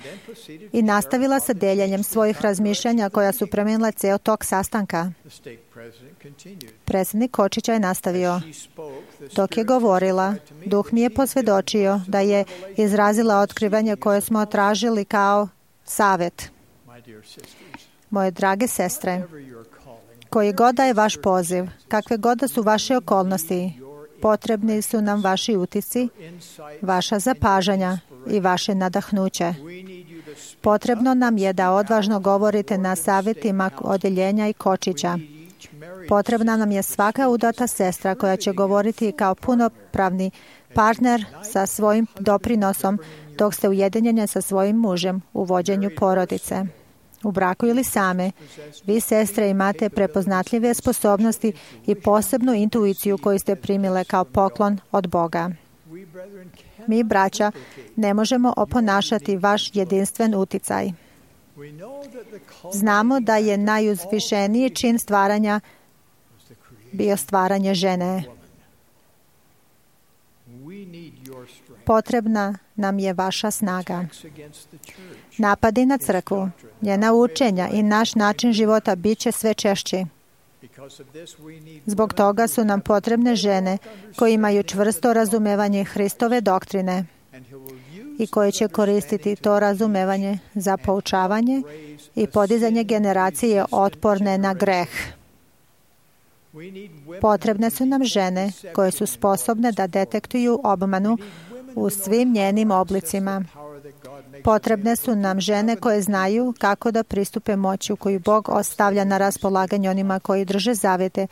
i nastavila sa deljenjem svojih razmišljanja koja su promijenila ceo tok sastanka. Predsjednik Kočića je nastavio. Dok je govorila, duh mi je posvjedočio da je izrazila otkrivanje koje smo tražili kao savet. Moje drage sestre, koji god da je vaš poziv, kakve god da su vaše okolnosti, potrebni su nam vaši utisci, vaša zapažanja i vaše nadahnuće. Potrebno nam je da odvažno govorite na savjetima odjeljenja i Kočića. Potrebna nam je svaka udata sestra koja će govoriti kao punopravni partner sa svojim doprinosom dok ste ujedinjeni sa svojim mužem u vođenju porodice. U braku ili same, vi sestre imate prepoznatljive sposobnosti i posebnu intuiciju koju ste primile kao poklon od Boga. Mi, braća, ne možemo oponašati vaš jedinstven uticaj. Znamo da je najuzvišeniji čin stvaranja bio stvaranje žene. Potrebna nam je vaša snaga. Napadi na crkvu, njena učenja i naš način života bit će sve češći. Zbog toga su nam potrebne žene koje imaju čvrsto razumevanje Hristove doktrine i koje će koristiti to razumevanje za poučavanje i podizanje generacije otporne na greh. Potrebne su nam žene koje su sposobne da detektuju obmanu u svim njenim oblicima. Potrebne su nam žene koje znaju kako da pristupe moći koju Bog ostavlja na raspolaganje onima koji drže zavete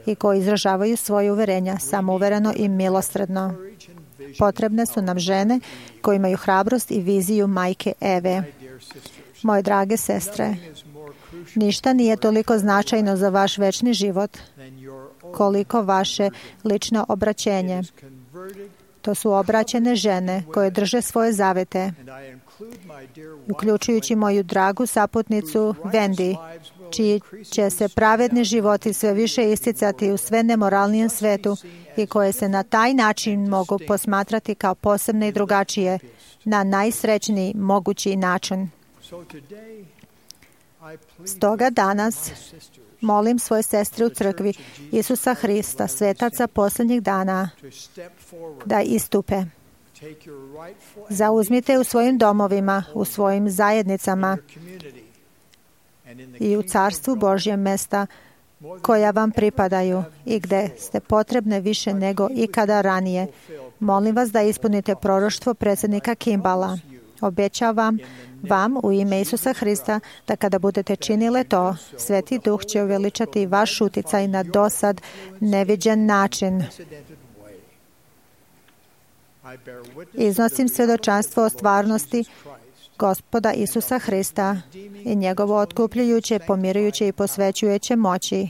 i koji izražavaju svoje uverenja samouvereno i milosrdno. Potrebne su nam žene koje imaju hrabrost i viziju majke Eve. Moje drage sestre, ništa nije toliko značajno za vaš večni život koliko vaše lično obraćenje. To su obraćene žene koje drže svoje zavete, uključujući moju dragu saputnicu Wendy, čiji će se pravedni životi sve više isticati u sve nemoralnijem svetu i koje se na taj način mogu posmatrati kao posebne i drugačije, na najsrećniji mogući način. Stoga danas molim svoje sestre u crkvi Isusa Hrista, svetaca posljednjih dana, da istupe. Zauzmite u svojim domovima, u svojim zajednicama i u carstvu Božjem mesta koja vam pripadaju i gde ste potrebne više nego ikada ranije. Molim vas da ispunite proroštvo predsjednika Kimballa. Obećavam vam u ime Isusa Hrista da kada budete činile to, Sveti Duh će uveličati vaš uticaj na dosad neviđen način. Iznosim svjedočanstvo o stvarnosti Gospoda Isusa Hrista i njegovo otkupljujuće, pomirujuće i posvećujuće moći.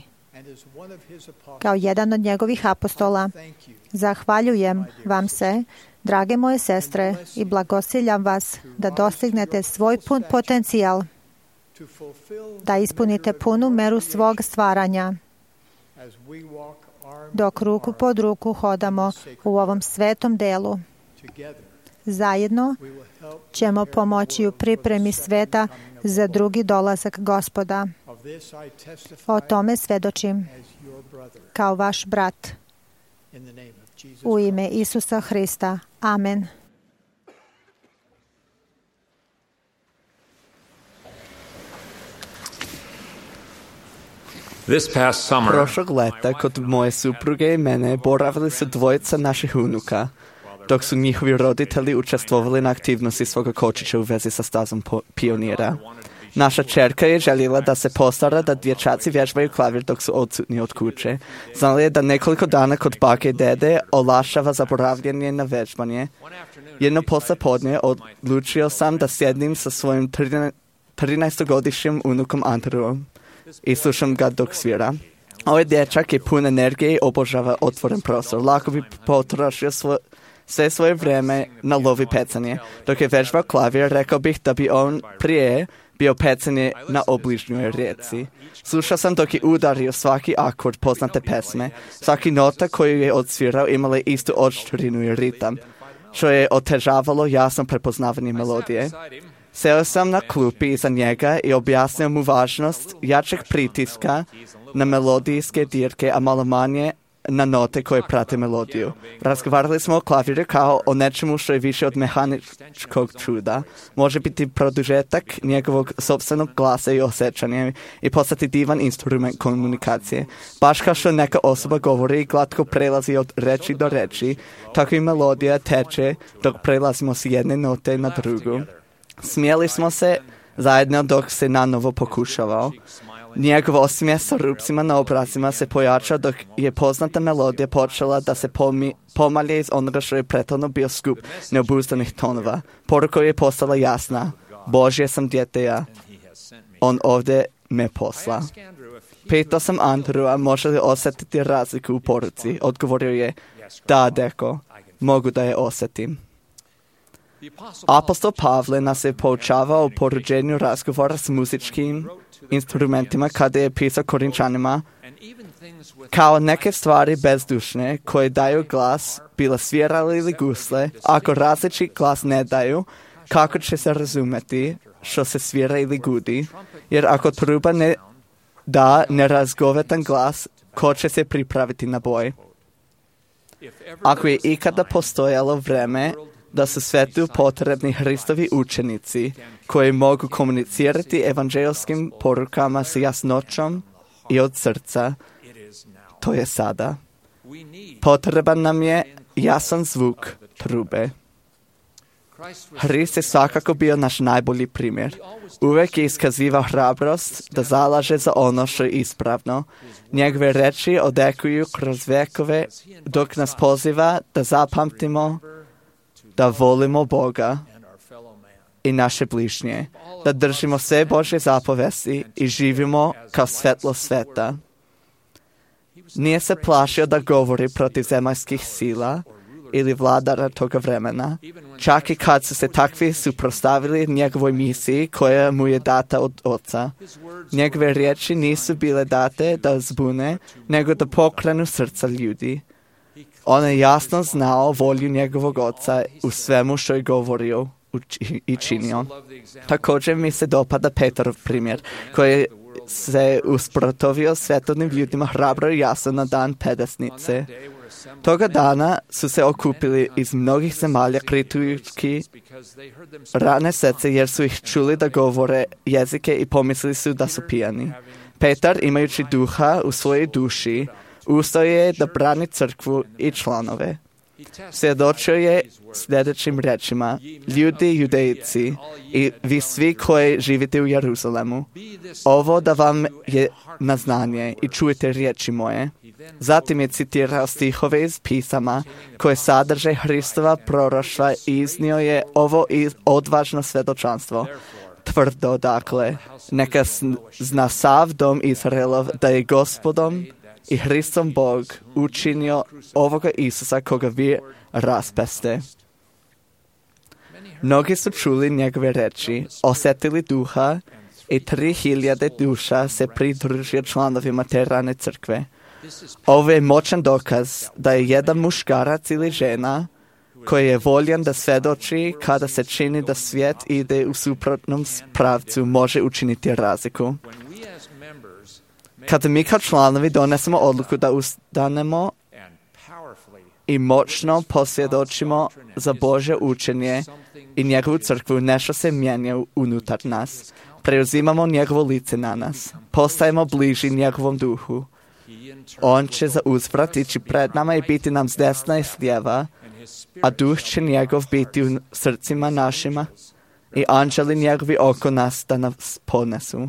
Kao jedan od njegovih apostola, zahvaljujem vam se Drage moje sestre, i blagosiljam vas da dostignete svoj pun potencijal, da ispunite punu meru svog stvaranja, dok ruku pod ruku hodamo u ovom svetom delu. Zajedno ćemo pomoći u pripremi sveta za drugi dolazak Gospoda. O tome svedočim kao vaš brat. U ime Isusa Hrista. Amen. Prošlog leta kod moje supruge i mene boravili su dvojica naših unuka, dok su njihovi roditelji učestvovali na aktivnosti svoga kočića u vezi sa stazom pionira. Naša čerka je željela da se postara da dječaci vježbaju klavir dok su odsutni od kuće. Znala je da nekoliko dana kod bake i dede olakšava zaboravljanje na vježbanje. Jedno poslijepodne odlučio sam da sjednim sa svojim 13-godišnjim unukom Andrewom i slušam ga dok svira. Ovaj dječak je pun energije i obožava otvoren prostor. Lako bi potrošio sve svoje vrijeme na lovi pecanje. Dok je vežbao klavir, rekao bih da bi on prije bio pecanje na obližnjoj rijeci. Slušao sam dok je udario svaki akord poznate pesme. Svaki nota koju je odsvirao imala istu oštrinu i ritam, što je otežavalo jasno prepoznavanje melodije. Seo sam na klupi iza njega i objasnio mu važnost jačeg pritiska na melodijske dirke, a malo manje na note koje prate melodiju. Razgovarali smo o klaviru kao o nečemu što je više od mehaničkog čuda. Može biti produžetak njegovog sopstvenog glasa i osjećanja i postati divan instrument komunikacije. Baš kao što neka osoba govori i glatko prelazi od reči do reči, tako i melodija teče dok prelazimo s jedne note na drugu. Smijeli smo se zajedno dok se nanovo pokušavao. Njegov osmijeh sa rupcima na obrazima se pojačao dok je poznata melodija počela da se pomalje iz onoga što je prethodno bio skup neobuzdanih tonova. Poruka je postala jasna. Božje sam dijete ja. On ovdje me posla. Pitao sam Andrewa može li osjetiti razliku u poruci. Odgovorio je, da deko, mogu da je osjetim. Apostol Pavle nas je poučavao o poruđenju razgovora s muzičkim instrumentima kada je pisao Korinčanima, kao neke stvari bezdušne koje daju glas, bila svirale ili gusle, ako različit glas ne daju, kako će se razumeti što se svira ili gudi, jer ako truba ne da nerazgovetan glas, ko će se pripraviti na boj? Ako je ikada postojalo vreme da su svetu potrebni Hristovi učenici koji mogu komunicirati evanđelskim porukama s jasnoćom i od srca, to je sada. Potreban nam je jasan zvuk trube. Hrist je svakako bio naš najbolji primjer. Uvijek je iskazivao hrabrost da zalaže za ono što je ispravno. Njegove reči odekuju kroz vekove dok nas poziva da zapamtimo da volimo Boga i naše bližnje, da držimo sve Božje zapovesti i živimo kao svetlo sveta. Nije se plašio da govori protiv zemaljskih sila ili vladara toga vremena, čak i kad su se takvi suprotstavili njegovoj misiji koja mu je data od Oca. Njegove riječi nisu bile date da zbune, nego da pokrenu srca ljudi. On je jasno znao volju njegovog Oca u svemu što je govorio i činio. Također mi se dopada Petrov primjer, koji se usprotivio svetovnim ljudima hrabro i jasno na dan Pedesnice. Toga dana su se okupili iz mnogih zemalja kritujući rane srce jer su ih čuli da govore jezike i pomislili su da su pijani. Petar, imajući duha u svojoj duši, ustao je da brani crkvu i članove. Svjedočio je sljedećim rečima: ljudi judejci i vi svi koji živite u Jeruzalemu, ovo da vam je na znanje i čujete riječi moje. Zatim je citirao stihove iz pisama koje sadrže Hristova proroštva i iznio je ovo odvažno svjedočanstvo. Tvrdo, dakle, neka zna sav dom Izraelov da je Gospodom i Hristom Bog učinio ovoga Isusa koga vi raspeste. Mnogi su čuli njegove reči, osjetili duha i 3000 duša se pridružio članovima te rane crkve. Ovo je moćan dokaz da je jedan muškarac ili žena koji je voljan da svedoči kada se čini da svijet ide u suprotnom pravcu može učiniti razliku. Kada mi kao članovi donesemo odluku da ustanemo i moćno posvjedočimo za Božje učenje i njegovu crkvu, nešto se mijenja unutar nas. Preuzimamo njegovo lice na nas. Postajemo bliži njegovom duhu. On će za uzvrat ići pred nama i biti nam s desna i s lijeva, a duh će njegov biti u srcima našima i anđeli njegovi oko nas da nas ponesu.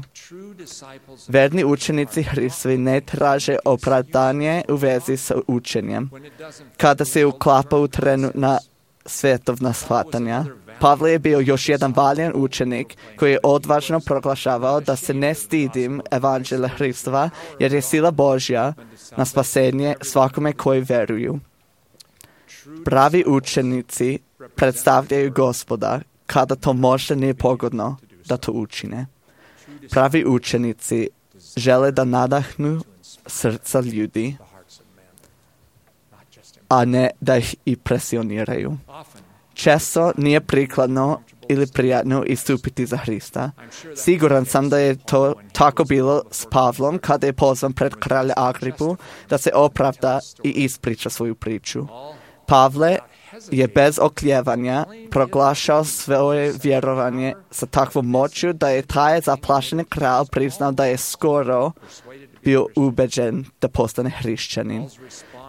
Verni učenici Hristovi ne traže opravdanje u vezi sa učenjem, kada se uklapa u trenutna svjetovna shvatanja. Pavle je bio još jedan valjan učenik koji je odvažno proglašavao da se ne stidim evanđelja Hristova, jer je sila Božja na spasenje svakome koji veruju. Pravi učenici predstavljaju Gospoda kada to možda nije pogodno da to učine. Pravi učenici žele da nadahnu srca ljudi, a ne da ih impresioniraju. Često nije prikladno ili prijatno istupiti za Hrista. Siguran sam da je to tako bilo s Pavlom kada je pozvan pred kralja Agripu da se opravda i ispriča svoju priču. Pavle je bez okljevanja proglašao svoje vjerovanje sa takvom moću da je taj zaplašeni kralj priznao da je skoro bio ubeđen da postane hrišćanin.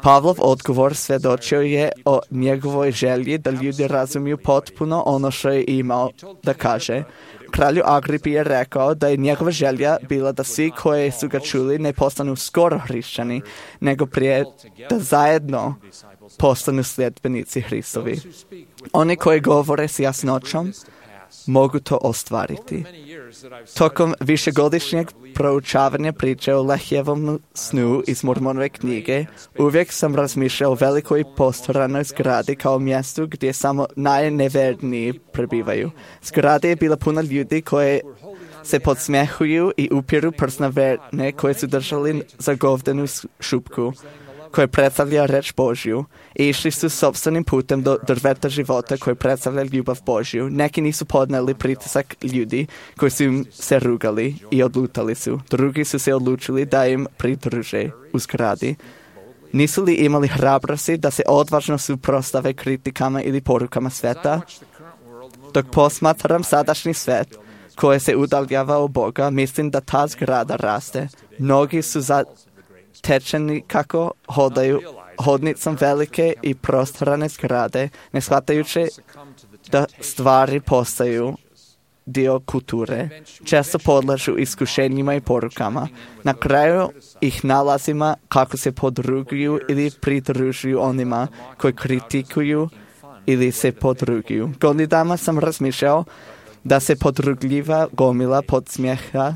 Pavlov odgovor svjedočio je o njegovoj želji da ljudi razumiju potpuno ono što je imao da kaže. Kralju Agripi je rekao da je njegova želja bila da svi koji su ga čuli ne postanu skoro hrišćani, nego prije da zajedno postanu sljedbenici Hristovi. Oni koji govore s jasnoćom mogu to ostvariti. Tokom višegodišnjeg proučavanja priče o Lehjevom snu iz Mormonove knjige, uvijek sam razmišljao o velikoj postoranoj zgradi kao mjestu gdje samo najneverniji prebivaju. Zgrada je bila puna ljudi koje se podsmjehuju i upiru prst na verne koje su držali za govdenu šupku, koje predstavlja reč Božju, i išli su sopstvenim putem do drveta života koje predstavlja ljubav Božju. Neki nisu podneli pritisak ljudi koji su im se rugali i odlutali su. Drugi su se odlučili da im pridruže u zgradi. Nisu li imali hrabrosti da se odvažno suprotstave kritikama ili porukama sveta? Dok posmatram sadašnji svet koji se udaljava od Boga, mislim da ta zgrada raste. Mnogi su zatečeni kako hodaju hodnicom velike i prostorane zgrade, ne shvatajući da stvari postaju dio kulture. Često podlažu iskušenjima i porukama. Na kraju ih nalazimo kako se podruguju ili pridružuju onima koji kritikuju ili se podruguju. Godinama sam razmišljao da se podrugljiva gomila podsmjeha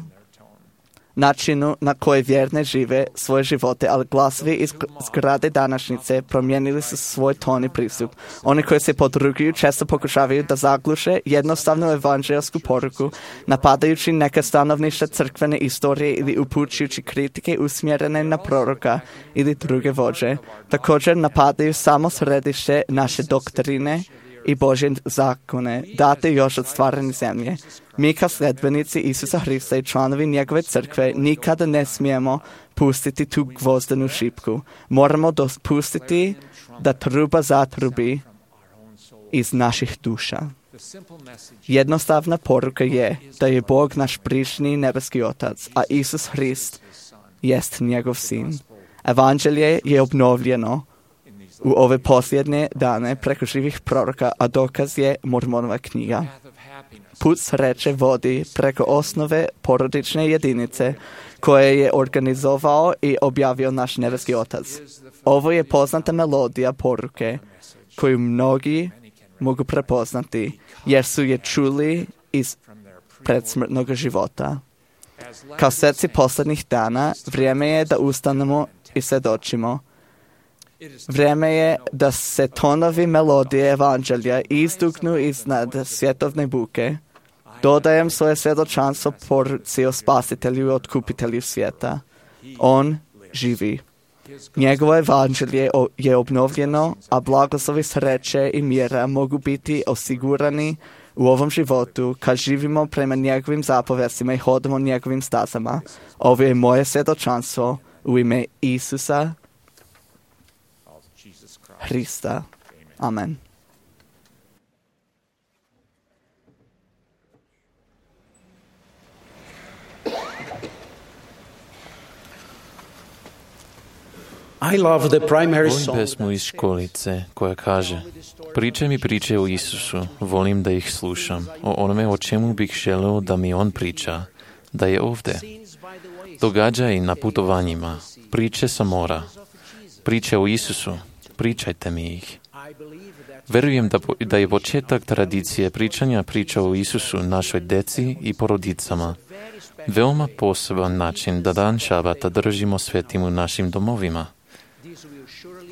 načinu na koji vjerne žive svoje živote, ali glasovi iz zgrade današnjice promijenili su svoj ton i pristup. Oni koji se podruguju često pokušavaju da zagluše jednostavnu evanđelsku poruku, napadajući neka stanovništva crkvene istorije ili upućujući kritike usmjerene na proroka ili druge vođe. Također napadaju samo središte naše doktrine i Božje zakone, date još od stvaranja zemlje. Mi kao sljedbenici Isusa Hrista i članovi njegove crkve nikada ne smijemo pustiti tu gvozdenu šipku. Moramo dopustiti da truba zatrubi iz naših duša. Jednostavna poruka je da je Bog naš prišni nebeski Otac, a Isus Hrist jest njegov sin. Evanđelje je obnovljeno u ove posljednje dane preko živih proroka, a dokaz je Mormonova knjiga. Put sreće vodi preko osnove porodične jedinice koje je organizovao i objavio naš nebeski Otac. Ovo je poznata melodija poruke koju mnogi mogu prepoznati jer su je čuli iz predsmrtnog života. Kao sveci posljednjih dana, vrijeme je da ustanemo i svjedočimo. Vrijeme je da se tonovi melodije evanđelja izdugnu iznad svjetovne buke. Dodajem svoje svjedočanstvo poruci o spasitelju i otkupitelju svijeta. On živi. Njegovo evanđelje je obnovljeno, a blagoslovi sreće i mira mogu biti osigurani u ovom životu kad živimo prema njegovim zapovestima i hodamo njegovim stazama. Ovo je moje svjedočanstvo u ime Isusa Hrista. Amen. Volim pesmu iz školice koja kaže: Pričaj mi priče o Isusu, volim da ih slušam, o onome o čemu bih želeo da mi on priča, da je ovdje. Događaj na putovanjima, priče sa mora, priče o Isusu, pričajte mi ih. Verujem da je početak tradicije pričanja priča o Isusu našoj deci i porodicama veoma poseban način da dan šabata držimo svetim u našim domovima.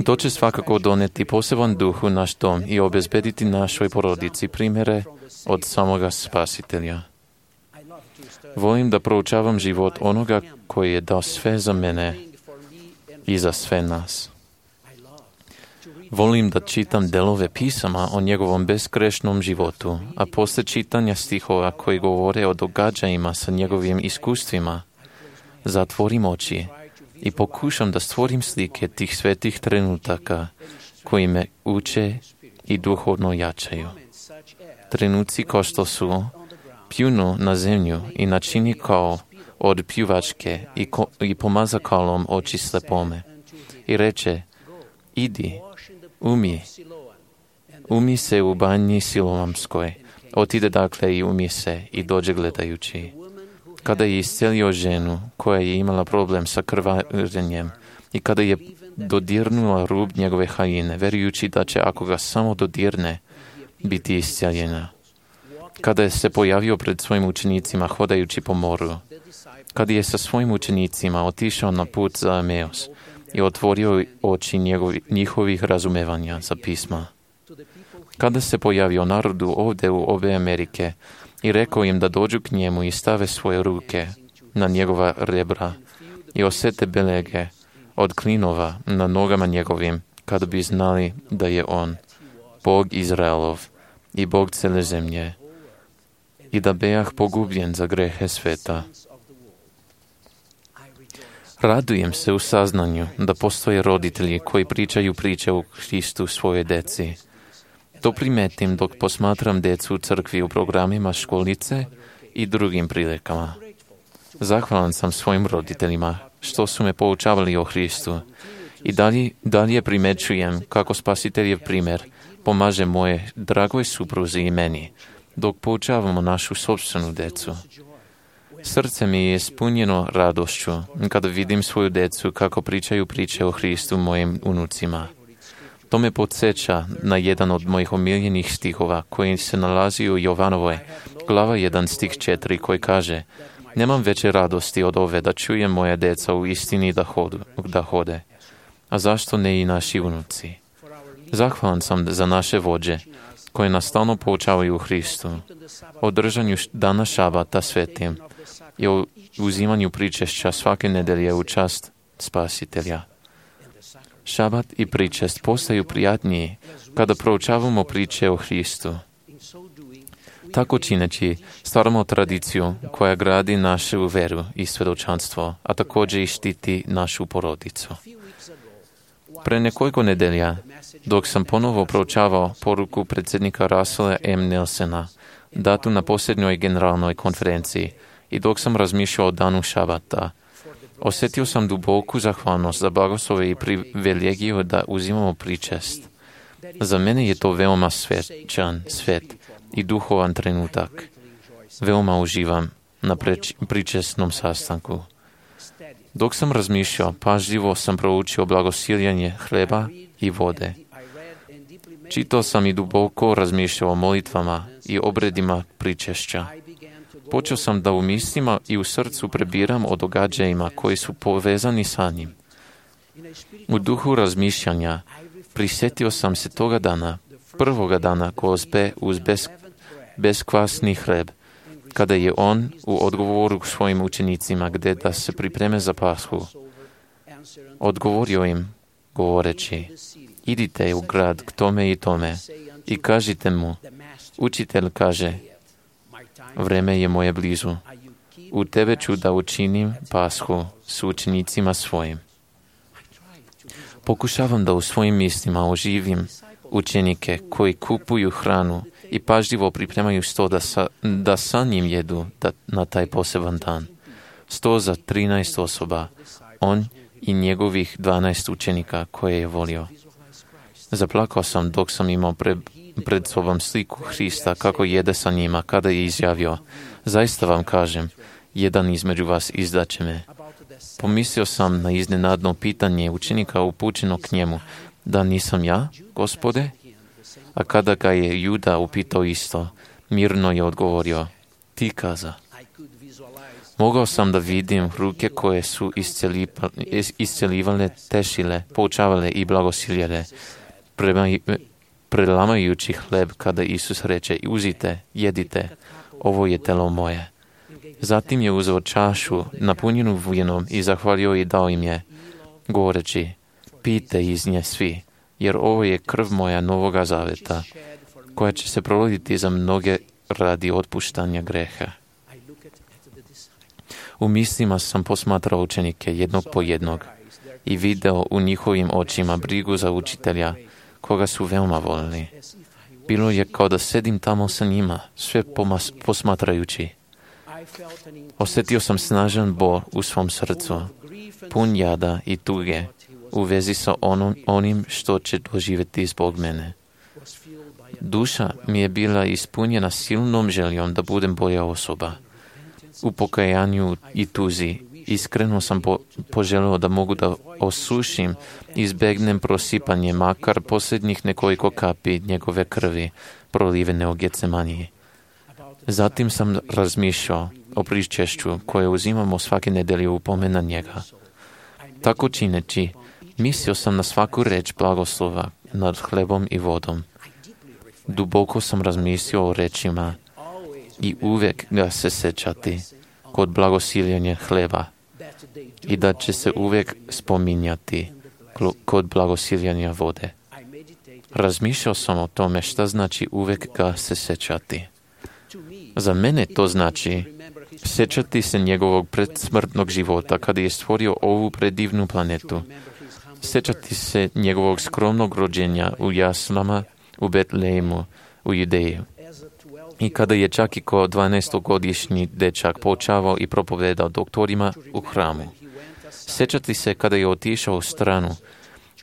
To će svakako doneti poseban duh u naš dom i obezbediti našoj porodici primjere od samoga Spasitelja. Volim da proučavam život onoga koji je dao sve za mene i za sve nas. Volim da čitam delove pisama o njegovom bezgrešnom životu, a posle čitanja stihova koji govore o događajima sa njegovim iskustvima, zatvorim oči i pokušam da stvorim slike tih svetih trenutaka koji me uče i duhovno jačaju. Trenuci kao što su pljunu na zemlju i načini kao od pljuvačke i pomaza kalom oči slepome i reče: idi, umi se u banji Siloamskoj. Otide dakle i umi se i dođe gledajući. Kada je iscelio ženu koja je imala problem sa krvarenjem i kada je dodirnula rub njegove haljine, verujući da će, ako ga samo dodirne, biti isceljena. Kada je se pojavio pred svojim učenicima hodajući po moru, kada je sa svojim učenicima otišao na put za Emeus i otvorio oči njihovih razumevanja za pisma. Kada se pojavio narodu ovdje u obe Amerike i rekao im da dođu k njemu i stave svoje ruke na njegova rebra i osete belege od klinova na nogama njegovim, kada bi znali da je on Bog Izraelov i Bog cele zemlje i da bejah pogubljen za grehe sveta. Radujem se u saznanju da postoje roditelji koji pričaju priče o Hristu svoje deci. To primetim dok posmatram decu u crkvi u programima školice i drugim prilikama. Zahvalan sam svojim roditeljima što su me poučavali o Hristu i dalje primećujem kako Spasiteljev primjer pomaže moje dragoj supruzi i meni dok poučavamo našu sopstvenu decu. Srce mi je ispunjeno radošću kada vidim svoju decu kako pričaju priče o Hristu mojim unucima. To me podsjeća na jedan od mojih omiljenih stihova koji se nalazi u Jovanovoj, glava 1 stih 4, koji kaže: nemam veće radosti od ove da čujem moja deca u istini da hode. A zašto ne i naši unuci? Zahvalan sam za naše vođe koje nas stalno poučavaju u Hristu, o držanju dana šabata svetim i o uzimanju pričešća svake nedelje u čast Spasitelja. Šabat i pričest postaju prijatniji kada proučavamo priče o Hristu. Tako čineći, stvaramo tradiciju koja gradi našu veru i svjedočanstvo, a također i štiti našu porodicu. Pre nekoliko nedelja, dok sam ponovo proučavao poruku predsjednika Russella M. Nelsona, datu na posljednjoj generalnoj konferenciji, i dok sam razmišljao o danu šabata, osjetio sam duboku zahvalnost za blagoslove i privilegiju da uzimamo pričest. Za mene je to veoma svečan, svet i duhovan trenutak. Veoma uživam na pričestnom sastanku. Dok sam razmišljao, pažljivo sam proučio blagosiljanje hleba i vode. Čitao sam i duboko razmišljao o molitvama i obredima pričešća. Počeo sam da u mislima i u srcu prebiram o događajima koji su povezani sa njim. U duhu razmišljanja prisjetio sam se toga dana, prvoga dana gozbe uz beskvasni hleb, kada je on u odgovoru svojim učenicima gdje da se pripreme za Pashu, odgovorio im govoreći: idite u grad k tome i tome i kažite mu, učitelj kaže, vreme je moje blizu. U tebe ću da učinim Pashu s učenicima svojim. Pokušavam da u svojim mislima oživim učenike koji kupuju hranu i pažljivo pripremaju sto da sa njim jedu na taj poseban dan. 100 za 13 osoba, on i njegovih 12 učenika koje je volio. Zaplakao sam dok sam imao pred sobom sliku Hrista kako jede sa njima, kada je izjavio: zaista vam kažem, jedan između vas izdaće me. Pomislio sam na iznenadno pitanje učenika upućeno k njemu: da nisam ja, Gospode? A kada ga je Juda upitao isto, mirno je odgovorio: ti kaza. Mogao sam da vidim ruke koje su isceljivale, tešile, poučavale i blagosiljele, prelamajući hleb kada Isus reče: uzite, jedite, ovo je telo moje. Zatim je uzeo čašu napunjenu vinom i zahvalio i dao im je, govoreći: pijte iz nje svi, jer ovo je krv moja novoga zaveta, koja će se proliti za mnoge radi otpuštanja greha. U mislima sam posmatrao učenike jednog po jednog i video u njihovim očima brigu za učitelja, koga su veoma volili. Bilo je kao da sedim tamo sa njima, sve posmatrajući. Osjetio sam snažan bol u svom srcu, pun jada i tuge u vezi sa onim što će doživjeti zbog mene. Duša mi je bila ispunjena silnom željom da budem bolja osoba. U pokajanju i tuzi iskreno sam poželio da mogu da osušim i izbegnem prosipanje makar posljednjih nekoliko kapi njegove krvi prolivene u Getsemaniji. Zatim sam razmišljao o pričešću koje uzimamo svake nedelje u pomen na njega. Tako čineći, mislio sam na svaku reč blagoslova nad hlebom i vodom. Duboko sam razmislio o rečima i uvijek ga se sećati kod blagosiljanja hleba i da će se uvijek spominjati kod blagosiljanja vode. Razmišljao sam o tome šta znači uvijek ga se sećati. Za mene to znači sjećati se njegovog predsmrtnog života kada je stvorio ovu predivnu planetu. Sjećati se njegovog skromnog rođenja u jaslama u Betlejemu u Judeji. I kada je čak i kao 12-godišnji dečak poučavao i propovedao doktorima u hramu. Sjećati se kada je otišao u stranu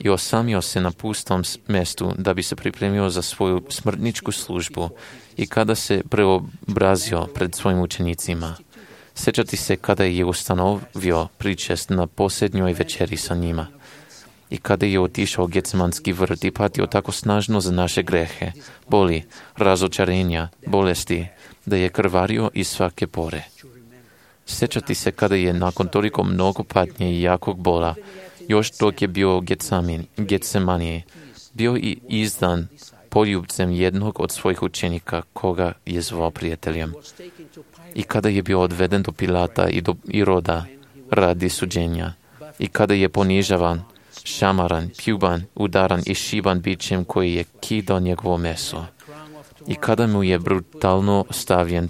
i osamio se na pustom mjestu da bi se pripremio za svoju smrtničku službu i kada se preobrazio pred svojim učenicima. Sjećati se kada je ustanovio pričest na posljednjoj večeri sa njima i kada je otišao u Getsemanski vrt i patio tako snažno za naše grehe, boli, razočarenja, bolesti, da je krvario iz svake pore. Sjećati se kada je nakon toliko mnogo patnje i jakog bola, još dok je bio u Getsemaniji, bio i izdan poljubcem jednog od svojih učenika koga je zvao prijateljem. I kada je bio odveden do Pilata i do Iroda radi suđenja, i kada je ponižavan, šamaran, pljuban, udaran i šiban bićem koji je kidao njegovo meso. I kada mu je brutalno stavljen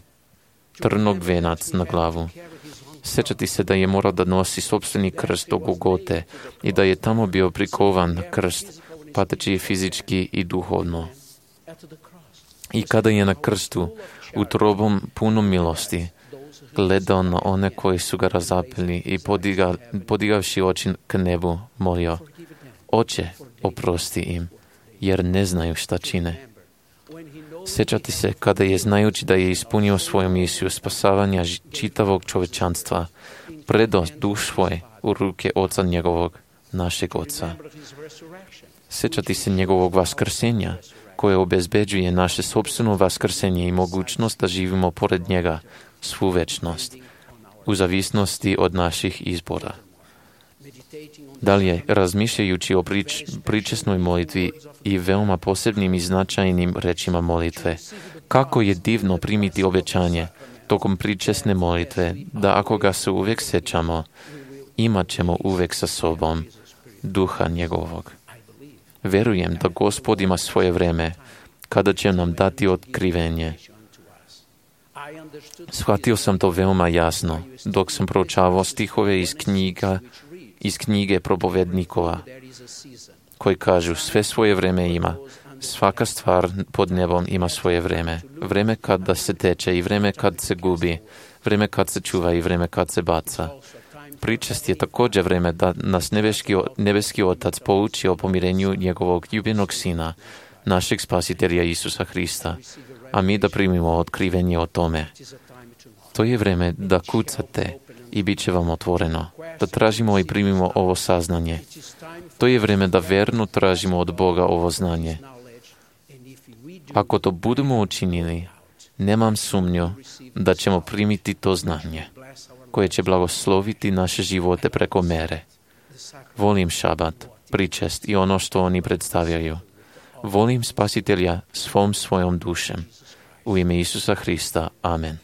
trnog venac na glavu. Sjećati se da je morao da nosi sopstveni krst do Golgote i da je tamo bio prikovan na krst, pateći fizički i duhovno. I kada je na krstu, utrobom punom milosti, gledao na one koji su ga razapeli i podigavši oči k nebu, molio: Oče, oprosti im, jer ne znaju šta čine. Sjećati se kada je, znajući da je ispunio svoju misiju spasavanja čitavog čovečanstva, predao duš svoj u ruke Oca njegovog, našeg Oca. Sjećati se njegovog vaskrsenja, koje obezbeđuje naše sopstveno vaskrsenje i mogućnost da živimo pored njega svu večnost, u zavisnosti od naših izbora. Dalje, razmišljajući o pričesnoj molitvi i veoma posebnim i značajnim rečima molitve, kako je divno primiti obećanje tokom pričesne molitve, da ako ga se uvijek sećamo, imat ćemo uvijek sa sobom duha njegovog. Verujem da Gospod ima svoje vreme, kada će nam dati otkrivenje. Shvatio sam to veoma jasno, dok sam proučavao stihove iz knjige propovednikova, koji kažu, sve svoje vreme ima, svaka stvar pod nebom ima svoje vreme. Vreme kada se teče i vreme kad se gubi, vreme kad se čuva i vreme kad se baca. Pričest je također vreme da nas nebeski Otac pouči o pomirenju njegovog ljubljenog Sina, našeg Spasitelja Isusa Hrista, a mi da primimo otkrivenje o tome. To je vreme da kucate i bit će vam otvoreno, da tražimo i primimo ovo saznanje. To je vreme da verno tražimo od Boga ovo znanje. Ako to budemo učinili, nemam sumnju da ćemo primiti to znanje, koje će blagosloviti naše živote preko mere. Volim šabat, pričest i ono što oni predstavljaju. Volim Spasitelja svojom dušem. U ime Isusa Hrista. Amen.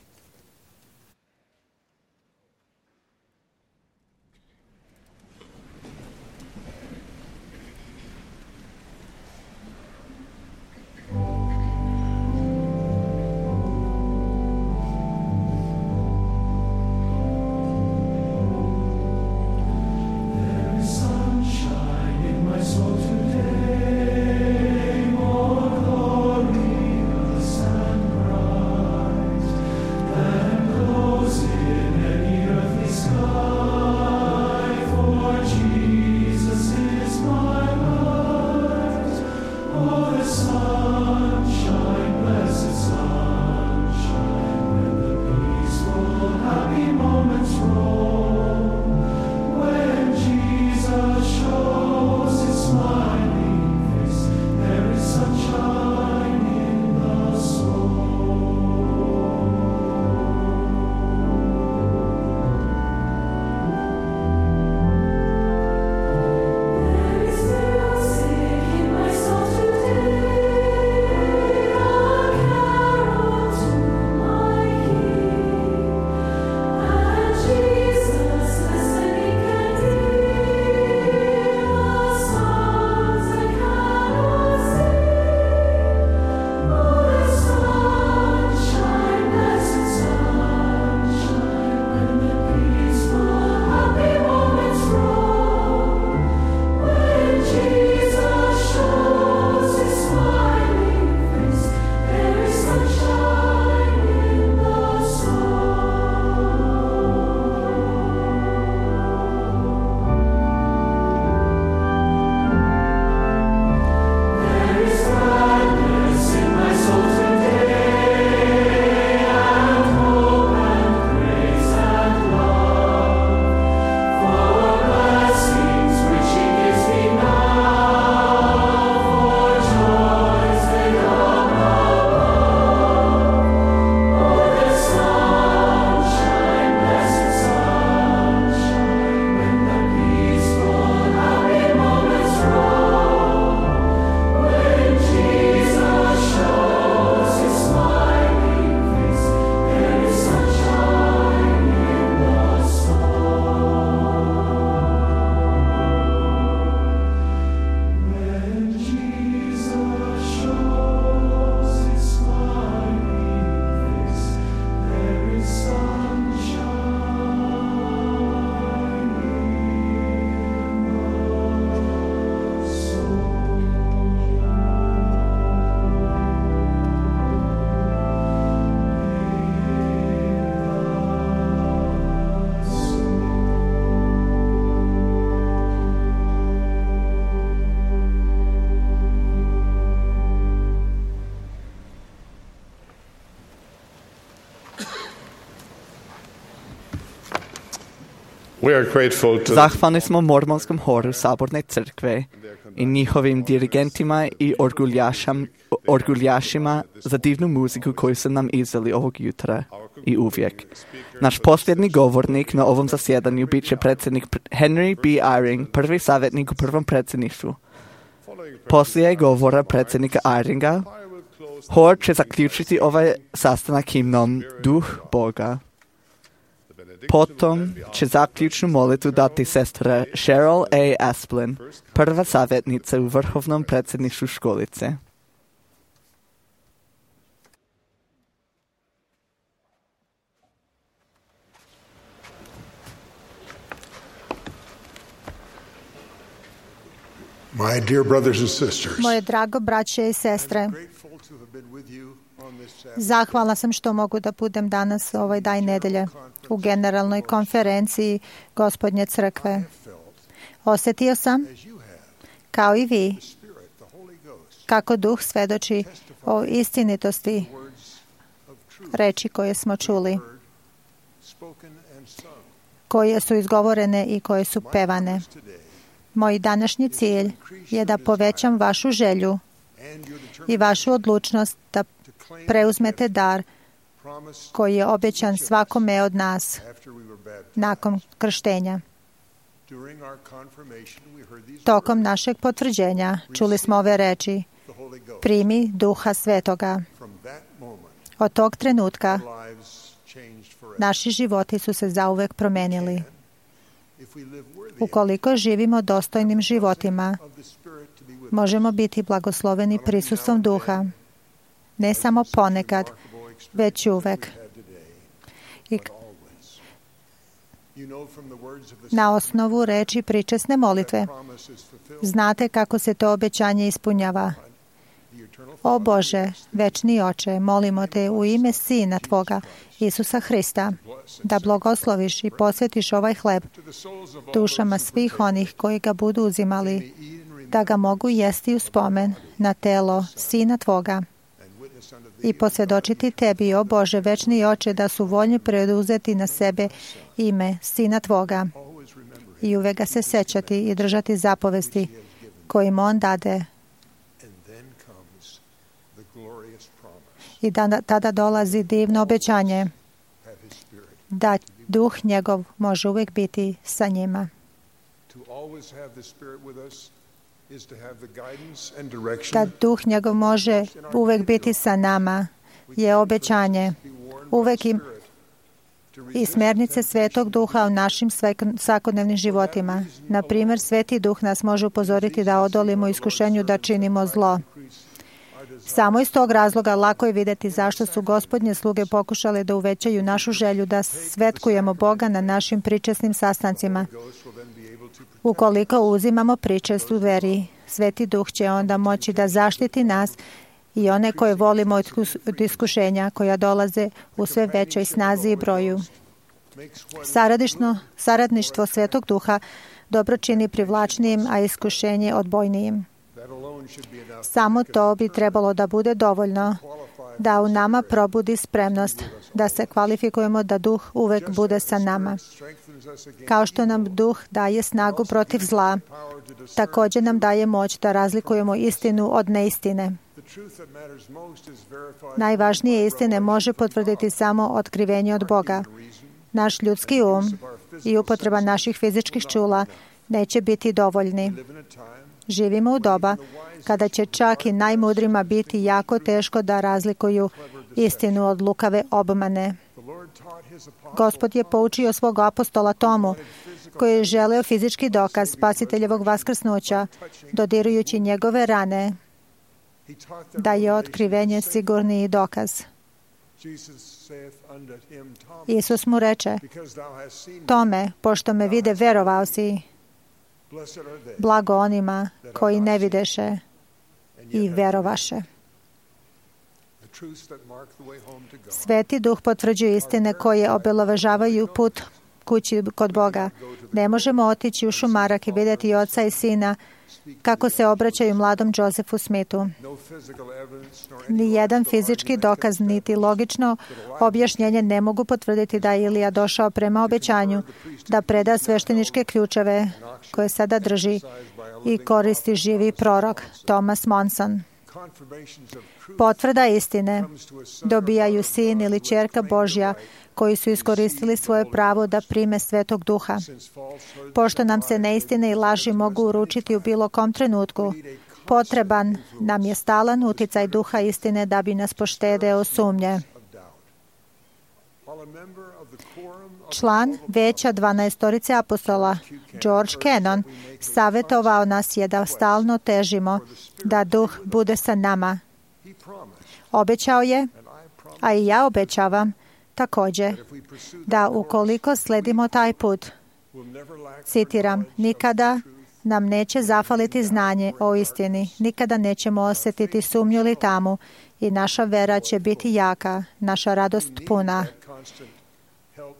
We are grateful to Zahvalni smo Mormonskom horu Saborne crkve i njihovim dirigentima i orguljašima za divnu muziku koju su nam izveli ovog jutra i uvijek. Naš posljednji govornik na ovom zasjedanju bit će predsjednik Henry B. Eyring, prvi savjetnik u prvom predsjedništvu. Poslije govora predsjednika Eyringa, hor će zaključiti ovaj sastanak himnom Duh Boga. Potom će zaključnu molitvu dati sestra Cheryl A. Asplin, prva savjetnica u vrhovnom predsjedništvu školice. my dear brothers and sisters. Moje drago braće i sestre, zahvalna sam što mogu da budem danas ovaj dan nedelje u generalnoj konferenciji Gospodnje crkve. Osjetio sam, kao i vi, kako Duh svedoči o istinitosti reči koje smo čuli, koje su izgovorene i koje su pevane. Moj današnji cilj je da povećam vašu želju i vašu odlučnost da preuzmete dar koji je obećan svakome od nas nakon krštenja. Tokom našeg potvrđenja čuli smo ove reči: primi Duha Svetoga. Od tog trenutka naši životi su se zauvek promenili. Ukoliko živimo dostojnim životima, možemo biti blagosloveni prisustvom Duha, ne samo ponekad, već uvek. I na osnovu reči pričesne molitve znate kako se to obećanje ispunjava. O Bože, večni Oče, molimo te u ime Sina Tvoga, Isusa Hrista, da blagosloviš i posvetiš ovaj hleb dušama svih onih koji ga budu uzimali, da ga mogu jesti u spomen na telo Sina Tvoga i posvjedočiti Tebi, o Bože, večni Oče, da su voljni preuzeti na sebe ime Sina Tvoga i uvek ga se sećati i držati zapovesti kojim On dade. I tada dolazi divno obećanje da Duh njegov može uvijek biti sa njima. Da Duh njegov može uvijek biti sa nama je obećanje. Uvijek i smjernice Svetog Duha u našim svakodnevnim životima. Na primjer, Sveti Duh nas može upozoriti da odolimo iskušenju da činimo zlo. Samo iz tog razloga lako je vidjeti zašto su Gospodnje sluge pokušale da uvećaju našu želju da svetkujemo Boga na našim pričesnim sastancima. Ukoliko uzimamo pričest u veri, Sveti Duh će onda moći da zaštiti nas i one koje volimo od iskušenja koja dolaze u sve većoj snazi i broju. Saradništvo Svetog Duha dobro čini privlačnijim, a iskušenje odbojnijim. Samo to bi trebalo da bude dovoljno da u nama probudi spremnost da se kvalifikujemo da Duh uvek bude sa nama. Kao što nam Duh daje snagu protiv zla, također nam daje moć da razlikujemo istinu od neistine. Najvažnije istine može potvrditi samo otkrivenje od Boga. Naš ljudski i upotreba naših fizičkih čula neće biti dovoljni. Živimo u doba kada će čak i najmudrima biti jako teško da razlikuju istinu od lukave obmane. Gospod je poučio svog apostola Tomu, koji je želeo fizički dokaz spasiteljevog vaskrsnuća, dodirujući njegove rane, da je otkrivenje sigurniji dokaz. Isus mu reče: Tome, pošto me vide, verovao si. Blago onima koji ne videše i verovaše. Sveti Duh potvrđuje istine koje obeležavaju put kući kod Boga. Ne možemo otići u šumarak i vidjeti oca i sina kako se obraćaju mladom Josefu Smithu. Ni jedan fizički dokaz, niti logično objašnjenje ne mogu potvrditi da je Ilija došao prema obećanju da preda svešteničke ključeve koje sada drži i koristi živi prorok Thomas Monson. Potvrda istine dobijaju sin ili ćerka Božja koji su iskoristili svoje pravo da prime Svetog Duha. Pošto nam se neistine i laži mogu uručiti u bilo kom trenutku, potreban nam je stalan uticaj Duha istine da bi nas poštedeo sumnje. Član veća 12 apostola George Kennan savjetovao nas je da stalno težimo da Duh bude sa nama. Obećao je, a i ja obećavam također, da ukoliko sledimo taj put, citiram, nikada nam neće zafaliti znanje o istini, nikada nećemo osjetiti sumnju ili tamu i naša vera će biti jaka, naša radost puna.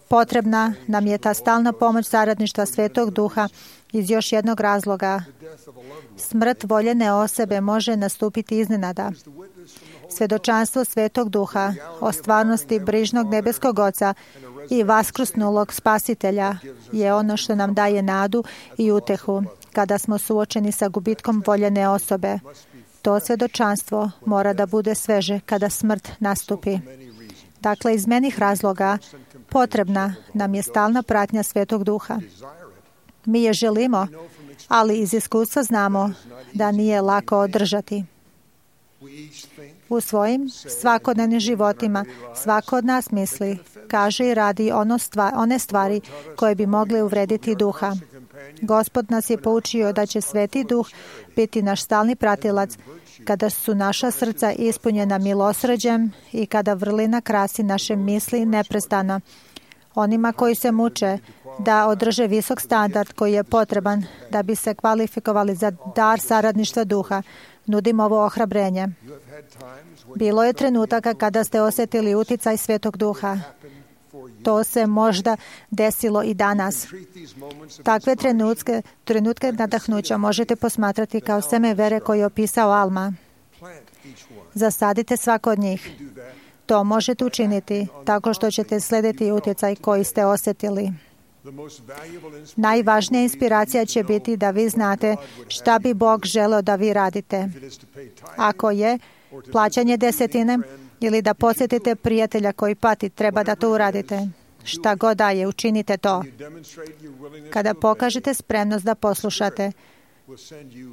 Potrebna nam je ta stalna pomoć saradništva Svetog Duha iz još jednog razloga. Smrt voljene osobe može nastupiti iznenada. Svjedočanstvo Svetog Duha o stvarnosti brižnog nebeskog Oca i vaskrusnulog Spasitelja je ono što nam daje nadu i utehu kada smo suočeni sa gubitkom voljene osobe. To svjedočanstvo mora da bude sveže kada smrt nastupi. Dakle, iz meni razloga potrebna nam je stalna pratnja Svetog Duha. Mi je želimo, ali iz iskustva znamo da nije lako održati. U svojim svakodnevnim životima svako od nas misli, kaže i radi one stvari koje bi mogle uvrediti Duha. Gospod nas je poučio da će Sveti Duh biti naš stalni pratilac kada su naša srca ispunjena milosrđem i kada vrlina krasi naše misli neprestano. Onima koji se muče da održe visok standard koji je potreban da bi se kvalifikovali za dar saradništva Duha, nudim ovo ohrabrenje. Bilo je trenutaka kada ste osjetili uticaj Svetog Duha. To se možda desilo i danas. Takve trenutke nadahnuća možete posmatrati kao seme vere koje je opisao Alma. Zasadite svako od njih. To možete učiniti tako što ćete slediti utjecaj koji ste osjetili. Najvažnija inspiracija će biti da vi znate šta bi Bog želeo da vi radite. Ako je plaćanje desetine ili da posjetite prijatelja koji pati, treba da to uradite. Šta god da je, učinite to. Kada pokažete spremnost da poslušate,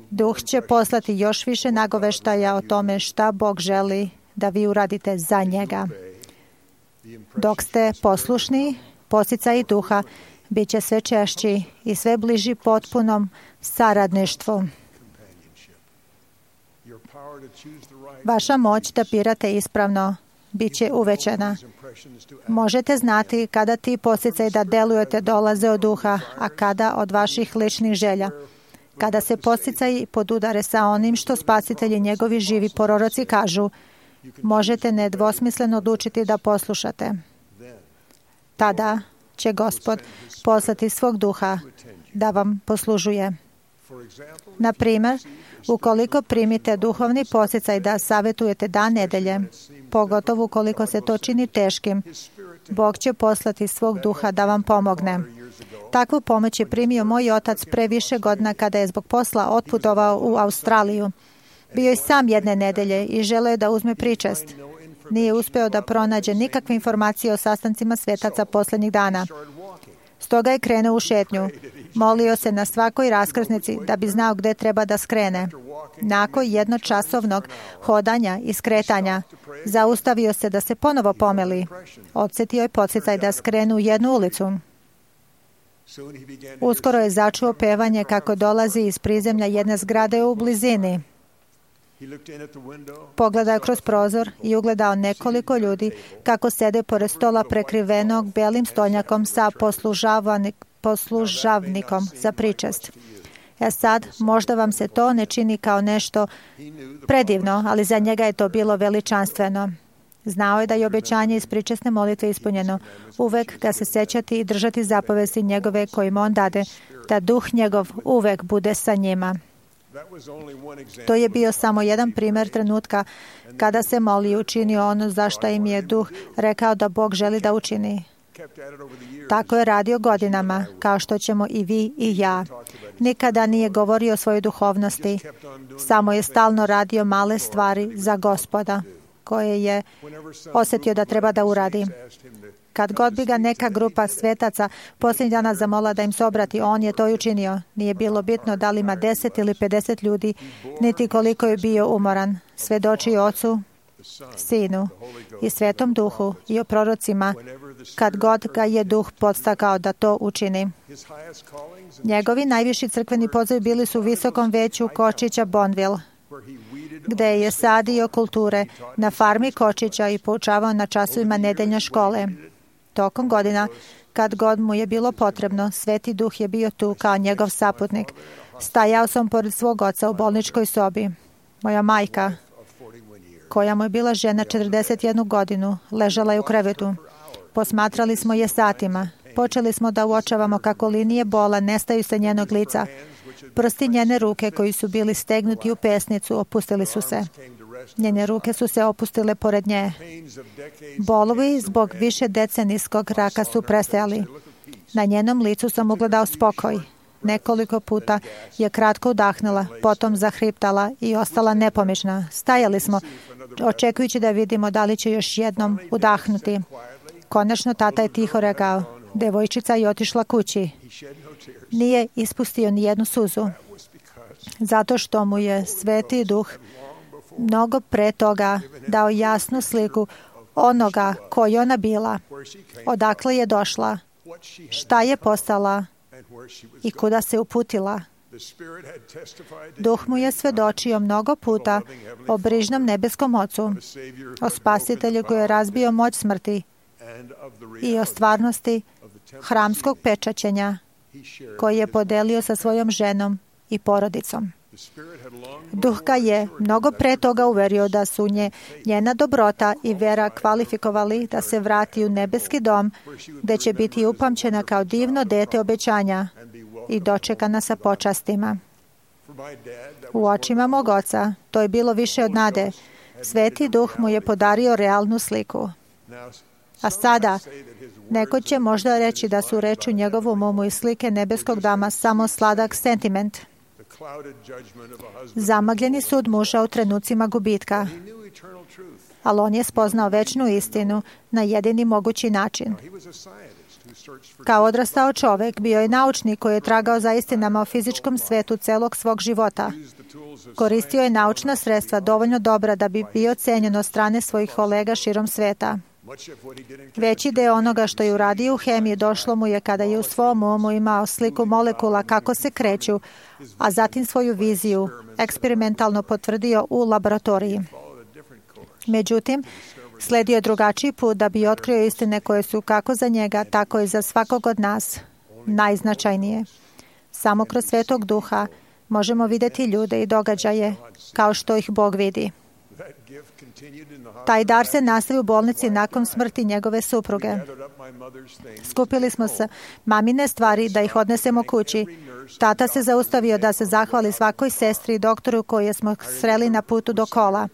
Duh će poslati još više nagoveštaja o tome šta Bog želi da vi uradite za njega. Dok ste poslušni, podsticaj Duha bit će sve češći i sve bliži potpunom saradništvu. Vaša moć da birate ispravno bit će uvećana. Možete znati kada ti podsticaj da delujete dolaze od Duha, a kada od vaših ličnih želja. Kada se podsticaj podudare sa onim što Spasitelj i njegovi živi proroci kažu, možete nedvosmisleno odlučiti da poslušate. Tada će Gospod poslati svog Duha da vam poslužuje. Na primjer, ukoliko primite duhovni podsticaj da savjetujete dan nedelje, pogotovo ukoliko se to čini teškim, Bog će poslati svog Duha da vam pomogne. Takvu pomoć je primio moj otac pre više godina kada je zbog posla otputovao u Australiju. Bio je sam jedne nedelje i želeo je da uzme pričest. Nije uspeo da pronađe nikakve informacije o sastancima svetaca posljednjih dana. Stoga je krenuo u šetnju. Molio se na svakoj raskrsnici da bi znao gde treba da skrene. Nakon jednočasovnog hodanja i skretanja, zaustavio se da se ponovo pomeli. Odsjetio je podsticaj da skrenu u jednu ulicu. Uskoro je začuo pevanje kako dolazi iz prizemlja jedne zgrade u blizini. Pogledao kroz prozor i ugledao nekoliko ljudi kako sede pored stola prekrivenog belim stolnjakom sa poslužavnikom za pričest. Sad, možda vam se to ne čini kao nešto predivno, ali za njega je to bilo veličanstveno. Znao je da je obećanje iz pričesne molitve ispunjeno. Uvek ga se sećati i držati zapovesti njegove kojim on dade, da duh njegov uvek bude sa njima. To je bio samo jedan primjer trenutka kada se moli i učinio ono za što im je duh rekao da Bog želi da učini. Tako je radio godinama, kao što ćemo i vi i ja. Nikada nije govorio o svojoj duhovnosti, samo je stalno radio male stvari za Gospoda, koje je osjetio da treba da uradi. Kad god bi ga neka grupa svetaca posljednjih dana zamola da im se obrati, on je to i učinio. Nije bilo bitno da li ima 10 ili 50 ljudi, niti koliko je bio umoran. Svedoči Ocu, Sinu i Svetom Duhu i o prorocima, kad god ga je Duh podstakao da to učini. Njegovi najviši crkveni pozivi bili su u visokom veću Kočića Bonneville, gde je sadio kulture na farmi Kočića i poučavao na časovima nedeljne škole. Tokom godina, kad god mu je bilo potrebno, Sveti Duh je bio tu kao njegov saputnik. Stajao sam pored svog oca u bolničkoj sobi. Moja majka, koja mu je bila žena 41 godinu, ležala je u krevetu. Posmatrali smo je satima. Počeli smo da uočavamo kako linije bola nestaju sa njenog lica. Prsti njene ruke, koji su bili stegnuti u pesnicu, opustili su se. Njene ruke su se opustile pored nje. Bolovi zbog više decenijskog raka su prestajali. Na njenom licu sam ugledao spokoj. Nekoliko puta je kratko udahnula, potom zahriptala i ostala nepomična. Stajali smo, očekujući da vidimo da li će još jednom udahnuti. Konačno tata je tiho rekao, devojčica je otišla kući. Nije ispustio ni jednu suzu. Zato što mu je Sveti Duh mnogo pre toga dao jasnu sliku onoga koji ona bila, odakle je došla, šta je postala i kuda se uputila. Duh mu je svedočio mnogo puta o brižnom nebeskom Ocu, o Spasitelju koji je razbio moć smrti i o stvarnosti hramskog pečaćenja koji je podelio sa svojom ženom i porodicom. Duh ga je mnogo pre toga uverio da su njena dobrota i vera kvalifikovali da se vrati u nebeski dom, gde će biti upamćena kao divno dete obećanja i dočekana sa počastima. U očima mog oca to je bilo više od nade. Sveti Duh mu je podario realnu sliku. A sada, neko će možda reći da su reči u njegovom umu i slike nebeskog dama samo sladak sentiment. Zamagljeni sud muža u trenucima gubitka. Ali on je spoznao večnu istinu na jedini mogući način. Kao odrastao čovek, bio je naučnik koji je tragao za istinama o fizičkom svetu celog svog života. Koristio je naučna sredstva dovoljno dobra da bi bio cenjen od strane svojih kolega širom sveta. Veći deo onoga što je uradio u hemiji došlo mu je kada je u svom umu imao sliku molekula kako se kreću, a zatim svoju viziju eksperimentalno potvrdio u laboratoriji. Međutim, sledio je drugačiji put da bi otkrio istine koje su kako za njega, tako i za svakog od nas najznačajnije. Samo kroz Svetog Duha možemo vidjeti ljude i događaje kao što ih Bog vidi. Taj dar se nastavi u bolnici nakon smrti njegove supruge. Skupili smo se mamine stvari da ih odnesemo kući. Tata se zaustavio da se zahvali svakoj sestri i doktoru koje smo sreli na putu do kola.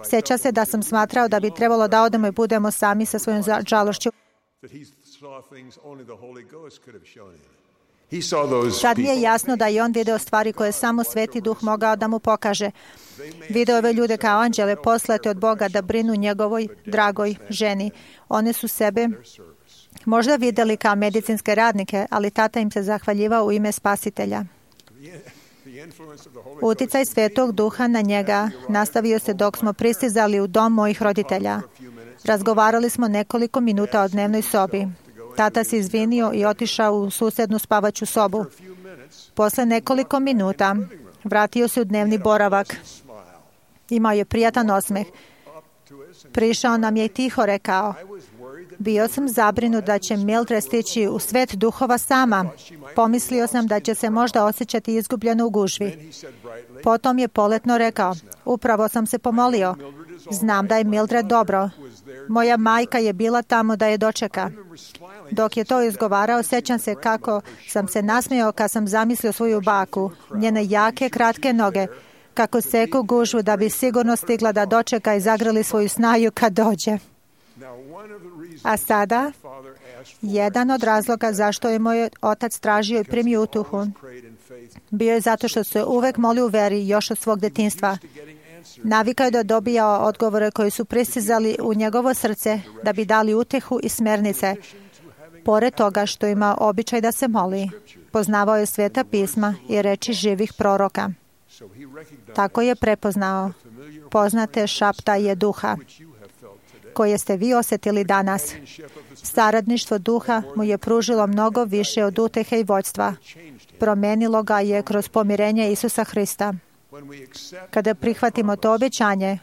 Sjeća se da sam smatrao da bi trebalo da odemo i budemo sami sa svojom žalošću. Sad mi je jasno da je on video stvari koje samo Sveti Duh mogao da mu pokaže. Video ove ljude kao anđele poslate od Boga da brinu njegovoj dragoj ženi. One su sebe možda videli kao medicinske radnike, ali tata im se zahvaljivao u ime Spasitelja. Uticaj Svetog Duha na njega nastavio se dok smo pristizali u dom mojih roditelja. Razgovarali smo nekoliko minuta o dnevnoj sobi. Tata se izvinio i otišao u susednu spavaću sobu. Posle nekoliko minuta vratio se u dnevni boravak. Imao je prijatan osmeh. Prišao nam je i tiho rekao, bio sam zabrinut da će Mildred stići u svet duhova sama. Pomislio sam da će se možda osjećati izgubljeno u gužvi. Potom je poletno rekao, upravo sam se pomolio. Znam da je Mildred dobro. Moja majka je bila tamo da je dočeka. Dok je to izgovarao, sjećam se kako sam se nasmijao kad sam zamislio svoju baku, njene jake, kratke noge, kako seku gužvu da bi sigurno stigla da dočeka i zagrli svoju snaju kad dođe. A sada, jedan od razloga zašto je moj otac tražio i primio utuhu, bio je zato što se uvek molio u veri još od svog detinjstva. Navikao je da dobija odgovore koji su pristizali u njegovo srce da bi dali utehu i smernice. Pored toga što ima običaj da se moli, poznavao je sveta pisma i reči živih proroka. Tako je prepoznao poznate šaptaje duha, koje ste vi osjetili danas. Saradništvo duha mu je pružilo mnogo više od utehe i vođstva. Promenilo ga je kroz pomirenje Isusa Hrista. Kada prihvatimo to obećanje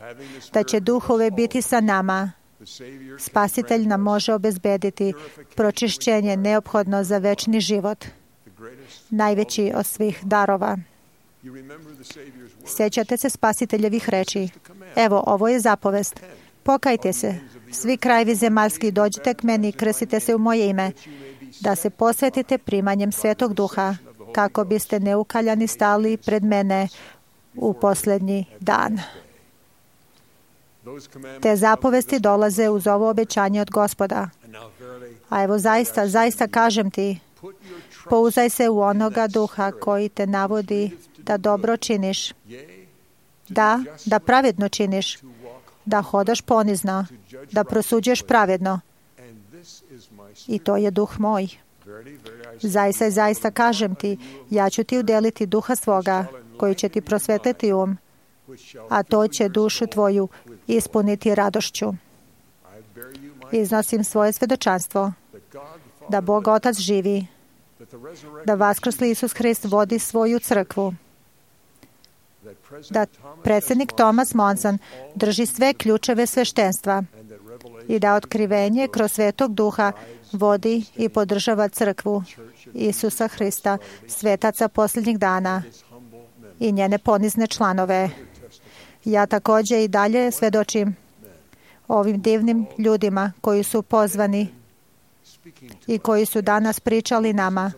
da će duh uvek biti sa nama, Spasitelj nam može obezbediti pročišćenje neophodno za večni život, najveći od svih darova. Sjećate se Spasiteljevih reči. Evo, ovo je zapovest. Pokajte se, svi krajevi zemaljski, dođite k meni i krstite se u moje ime, da se posvetite primanjem Svetog Duha, kako biste neukaljani stali pred mene u posljednji dan. Te zapovesti dolaze uz ovo obećanje od Gospoda. A evo zaista kažem ti, pouzdaj se u onoga duha koji te navodi da dobro činiš, da pravedno činiš, da hodaš ponizno, da prosuđuješ pravedno. I to je duh moj. Zaista kažem ti, ja ću ti udeliti duha svoga, koji će ti prosvetliti a to će dušu tvoju ispuniti radošću. Iznosim svoje svedočanstvo da Bog Otac živi, da vaskrsli Isus Hrist vodi svoju crkvu, da predsjednik Thomas Monson drži sve ključeve sveštenstva i da otkrivenje kroz Svetog Duha vodi i podržava crkvu Isusa Hrista, svetaca posljednjih dana i njene ponizne članove. Ja također i dalje svedočim ovim divnim ljudima koji su pozvani i koji su danas pričali nama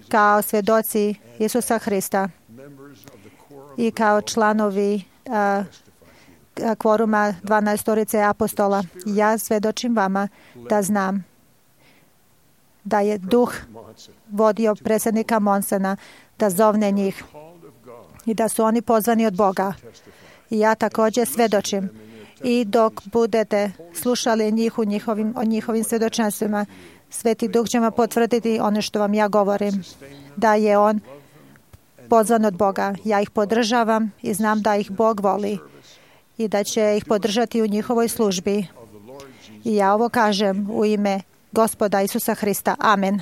kao svedoci Isusa Hrista i kao članovi kvoruma 12 apostola. Ja svedočim vama da znam da je duh vodio predsjednika Monsona da zovne njih i da su oni pozvani od Boga. I ja također svedočim. I dok budete slušali njih o njihovim svjedočanstvima, Sveti Duh će vam potvrditi ono što vam ja govorim, da je on pozvan od Boga. Ja ih podržavam i znam da ih Bog voli i da će ih podržati u njihovoj službi. I ja ovo kažem u ime Gospoda Isusa Hrista. Amen.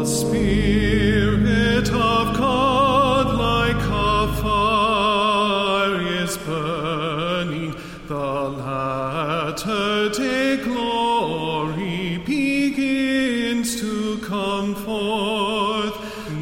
Spirit of God like a fire is burning, the latter-day glory begins to come forth.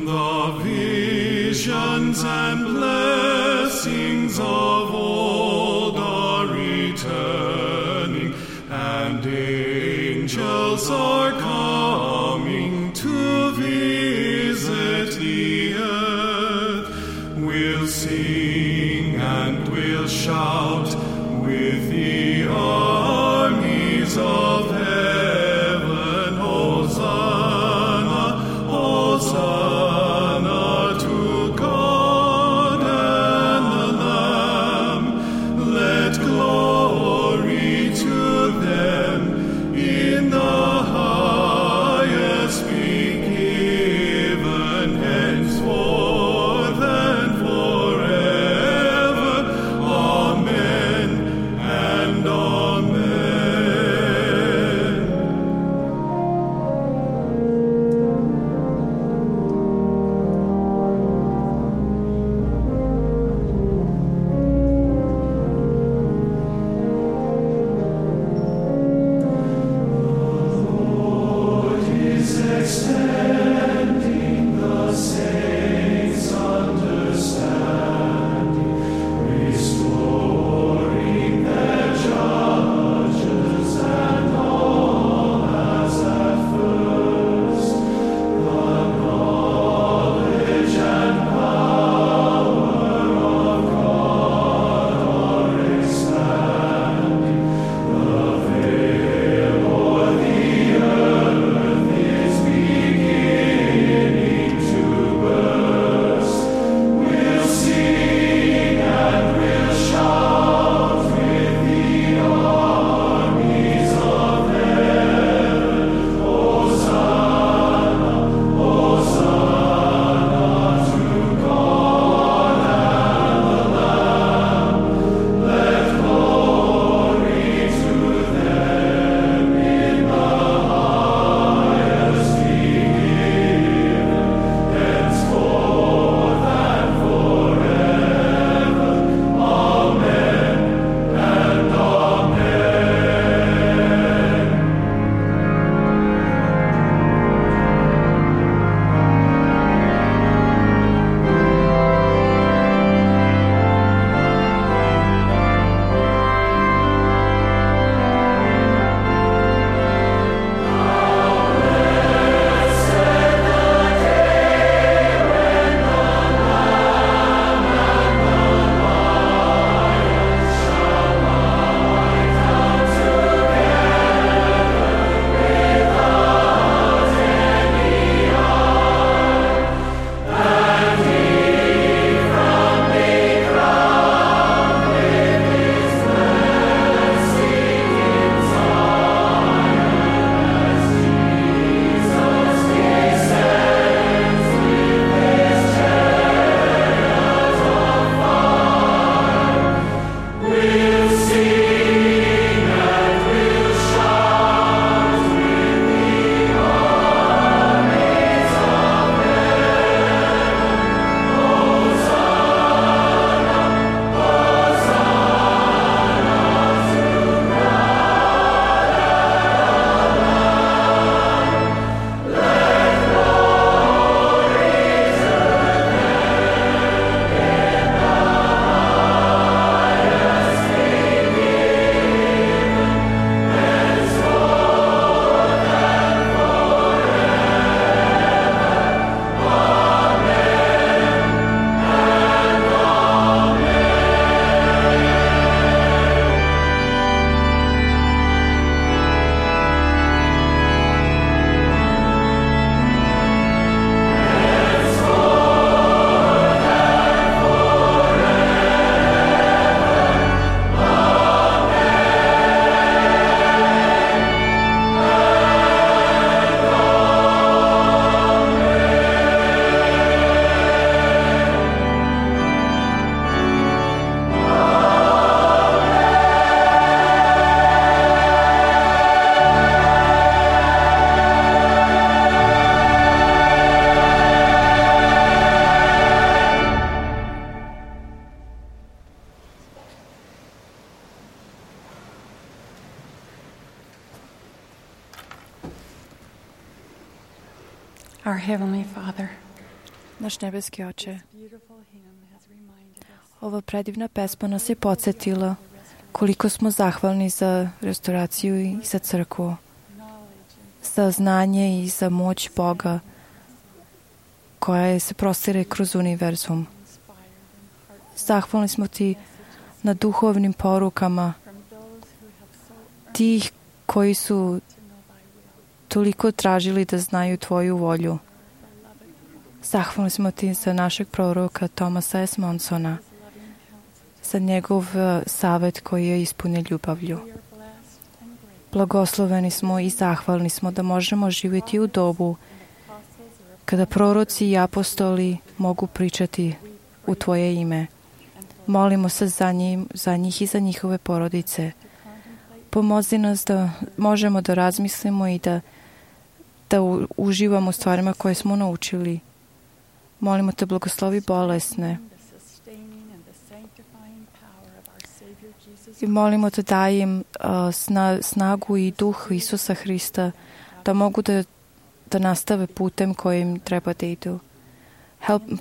The visions and blessings of old are returning, and angels are coming to visit the earth. We'll sing and we'll shout with the armies of heaven. Hosanna, Hosanna to God and the Lamb. Let glory to them in the highest be given henceforth and forever. Amen and amen. Our Heavenly Father, naš nebeski Oče, ova predivna pesma nas je podsjetila koliko smo zahvalni za restauraciju i za crkvu, za znanje i za moć Boga koja se prostire kroz univerzum. Zahvalni smo Ti na duhovnim porukama tih koji su toliko tražili da znaju Tvoju volju. Zahvalni smo Ti za našeg proroka Thomasa S. Monsona, za njegov savjet koji je ispunjen ljubavlju. Blagosloveni smo i zahvalni smo da možemo živjeti u dobu kada proroci i apostoli mogu pričati u Tvoje ime. Molimo se za njih i za njihove porodice. Pomozi nas da možemo da razmislimo i da uživamo u stvarima koje smo naučili. Molimo Te, blagoslovi bolesne. I molimo Te, daj im snagu i duh Isusa Hrista da mogu da nastave putem kojim treba da idu.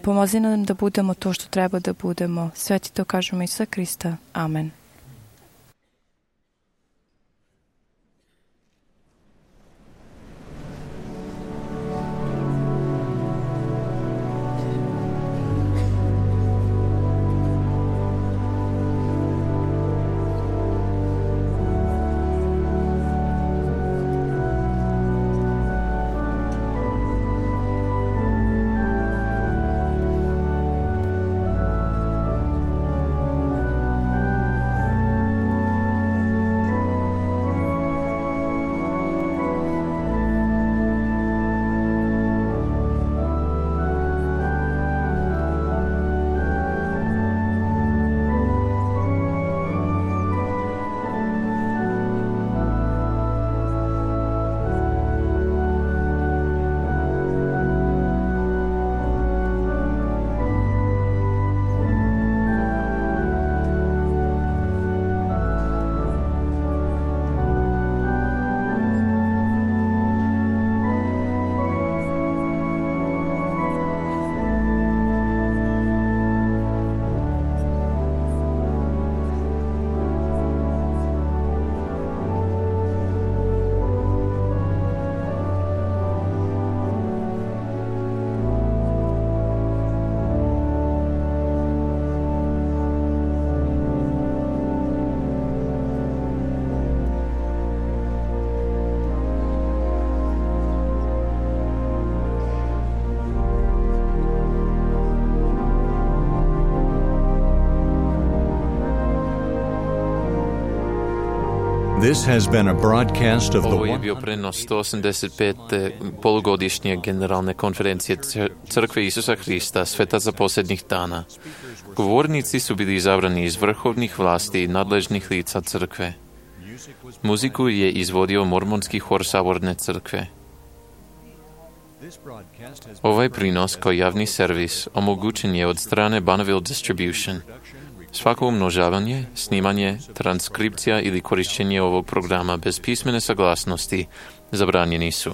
Pomozi nam da budemo to što treba da budemo. Sve Ti to kažemo Isusa Hrista. Amen. This has been a broadcast of Ovo je bio prenos 185. polugodišnje generalne konferencije Crkve Isusa Hrista, Sveta za posljednjih dana. Govornici su bili izabrani iz vrhovnih vlasti i nadležnih lica crkve. Muziku je izvodio mormonski hor Saborne crkve. Ovaj prinos kao javni servis omogućen je od strane Bonneville Distribution. Svako umnožavanje, snimanje, transkripcija ili korišćenje ovog programa bez pismene saglasnosti zabranjeni su.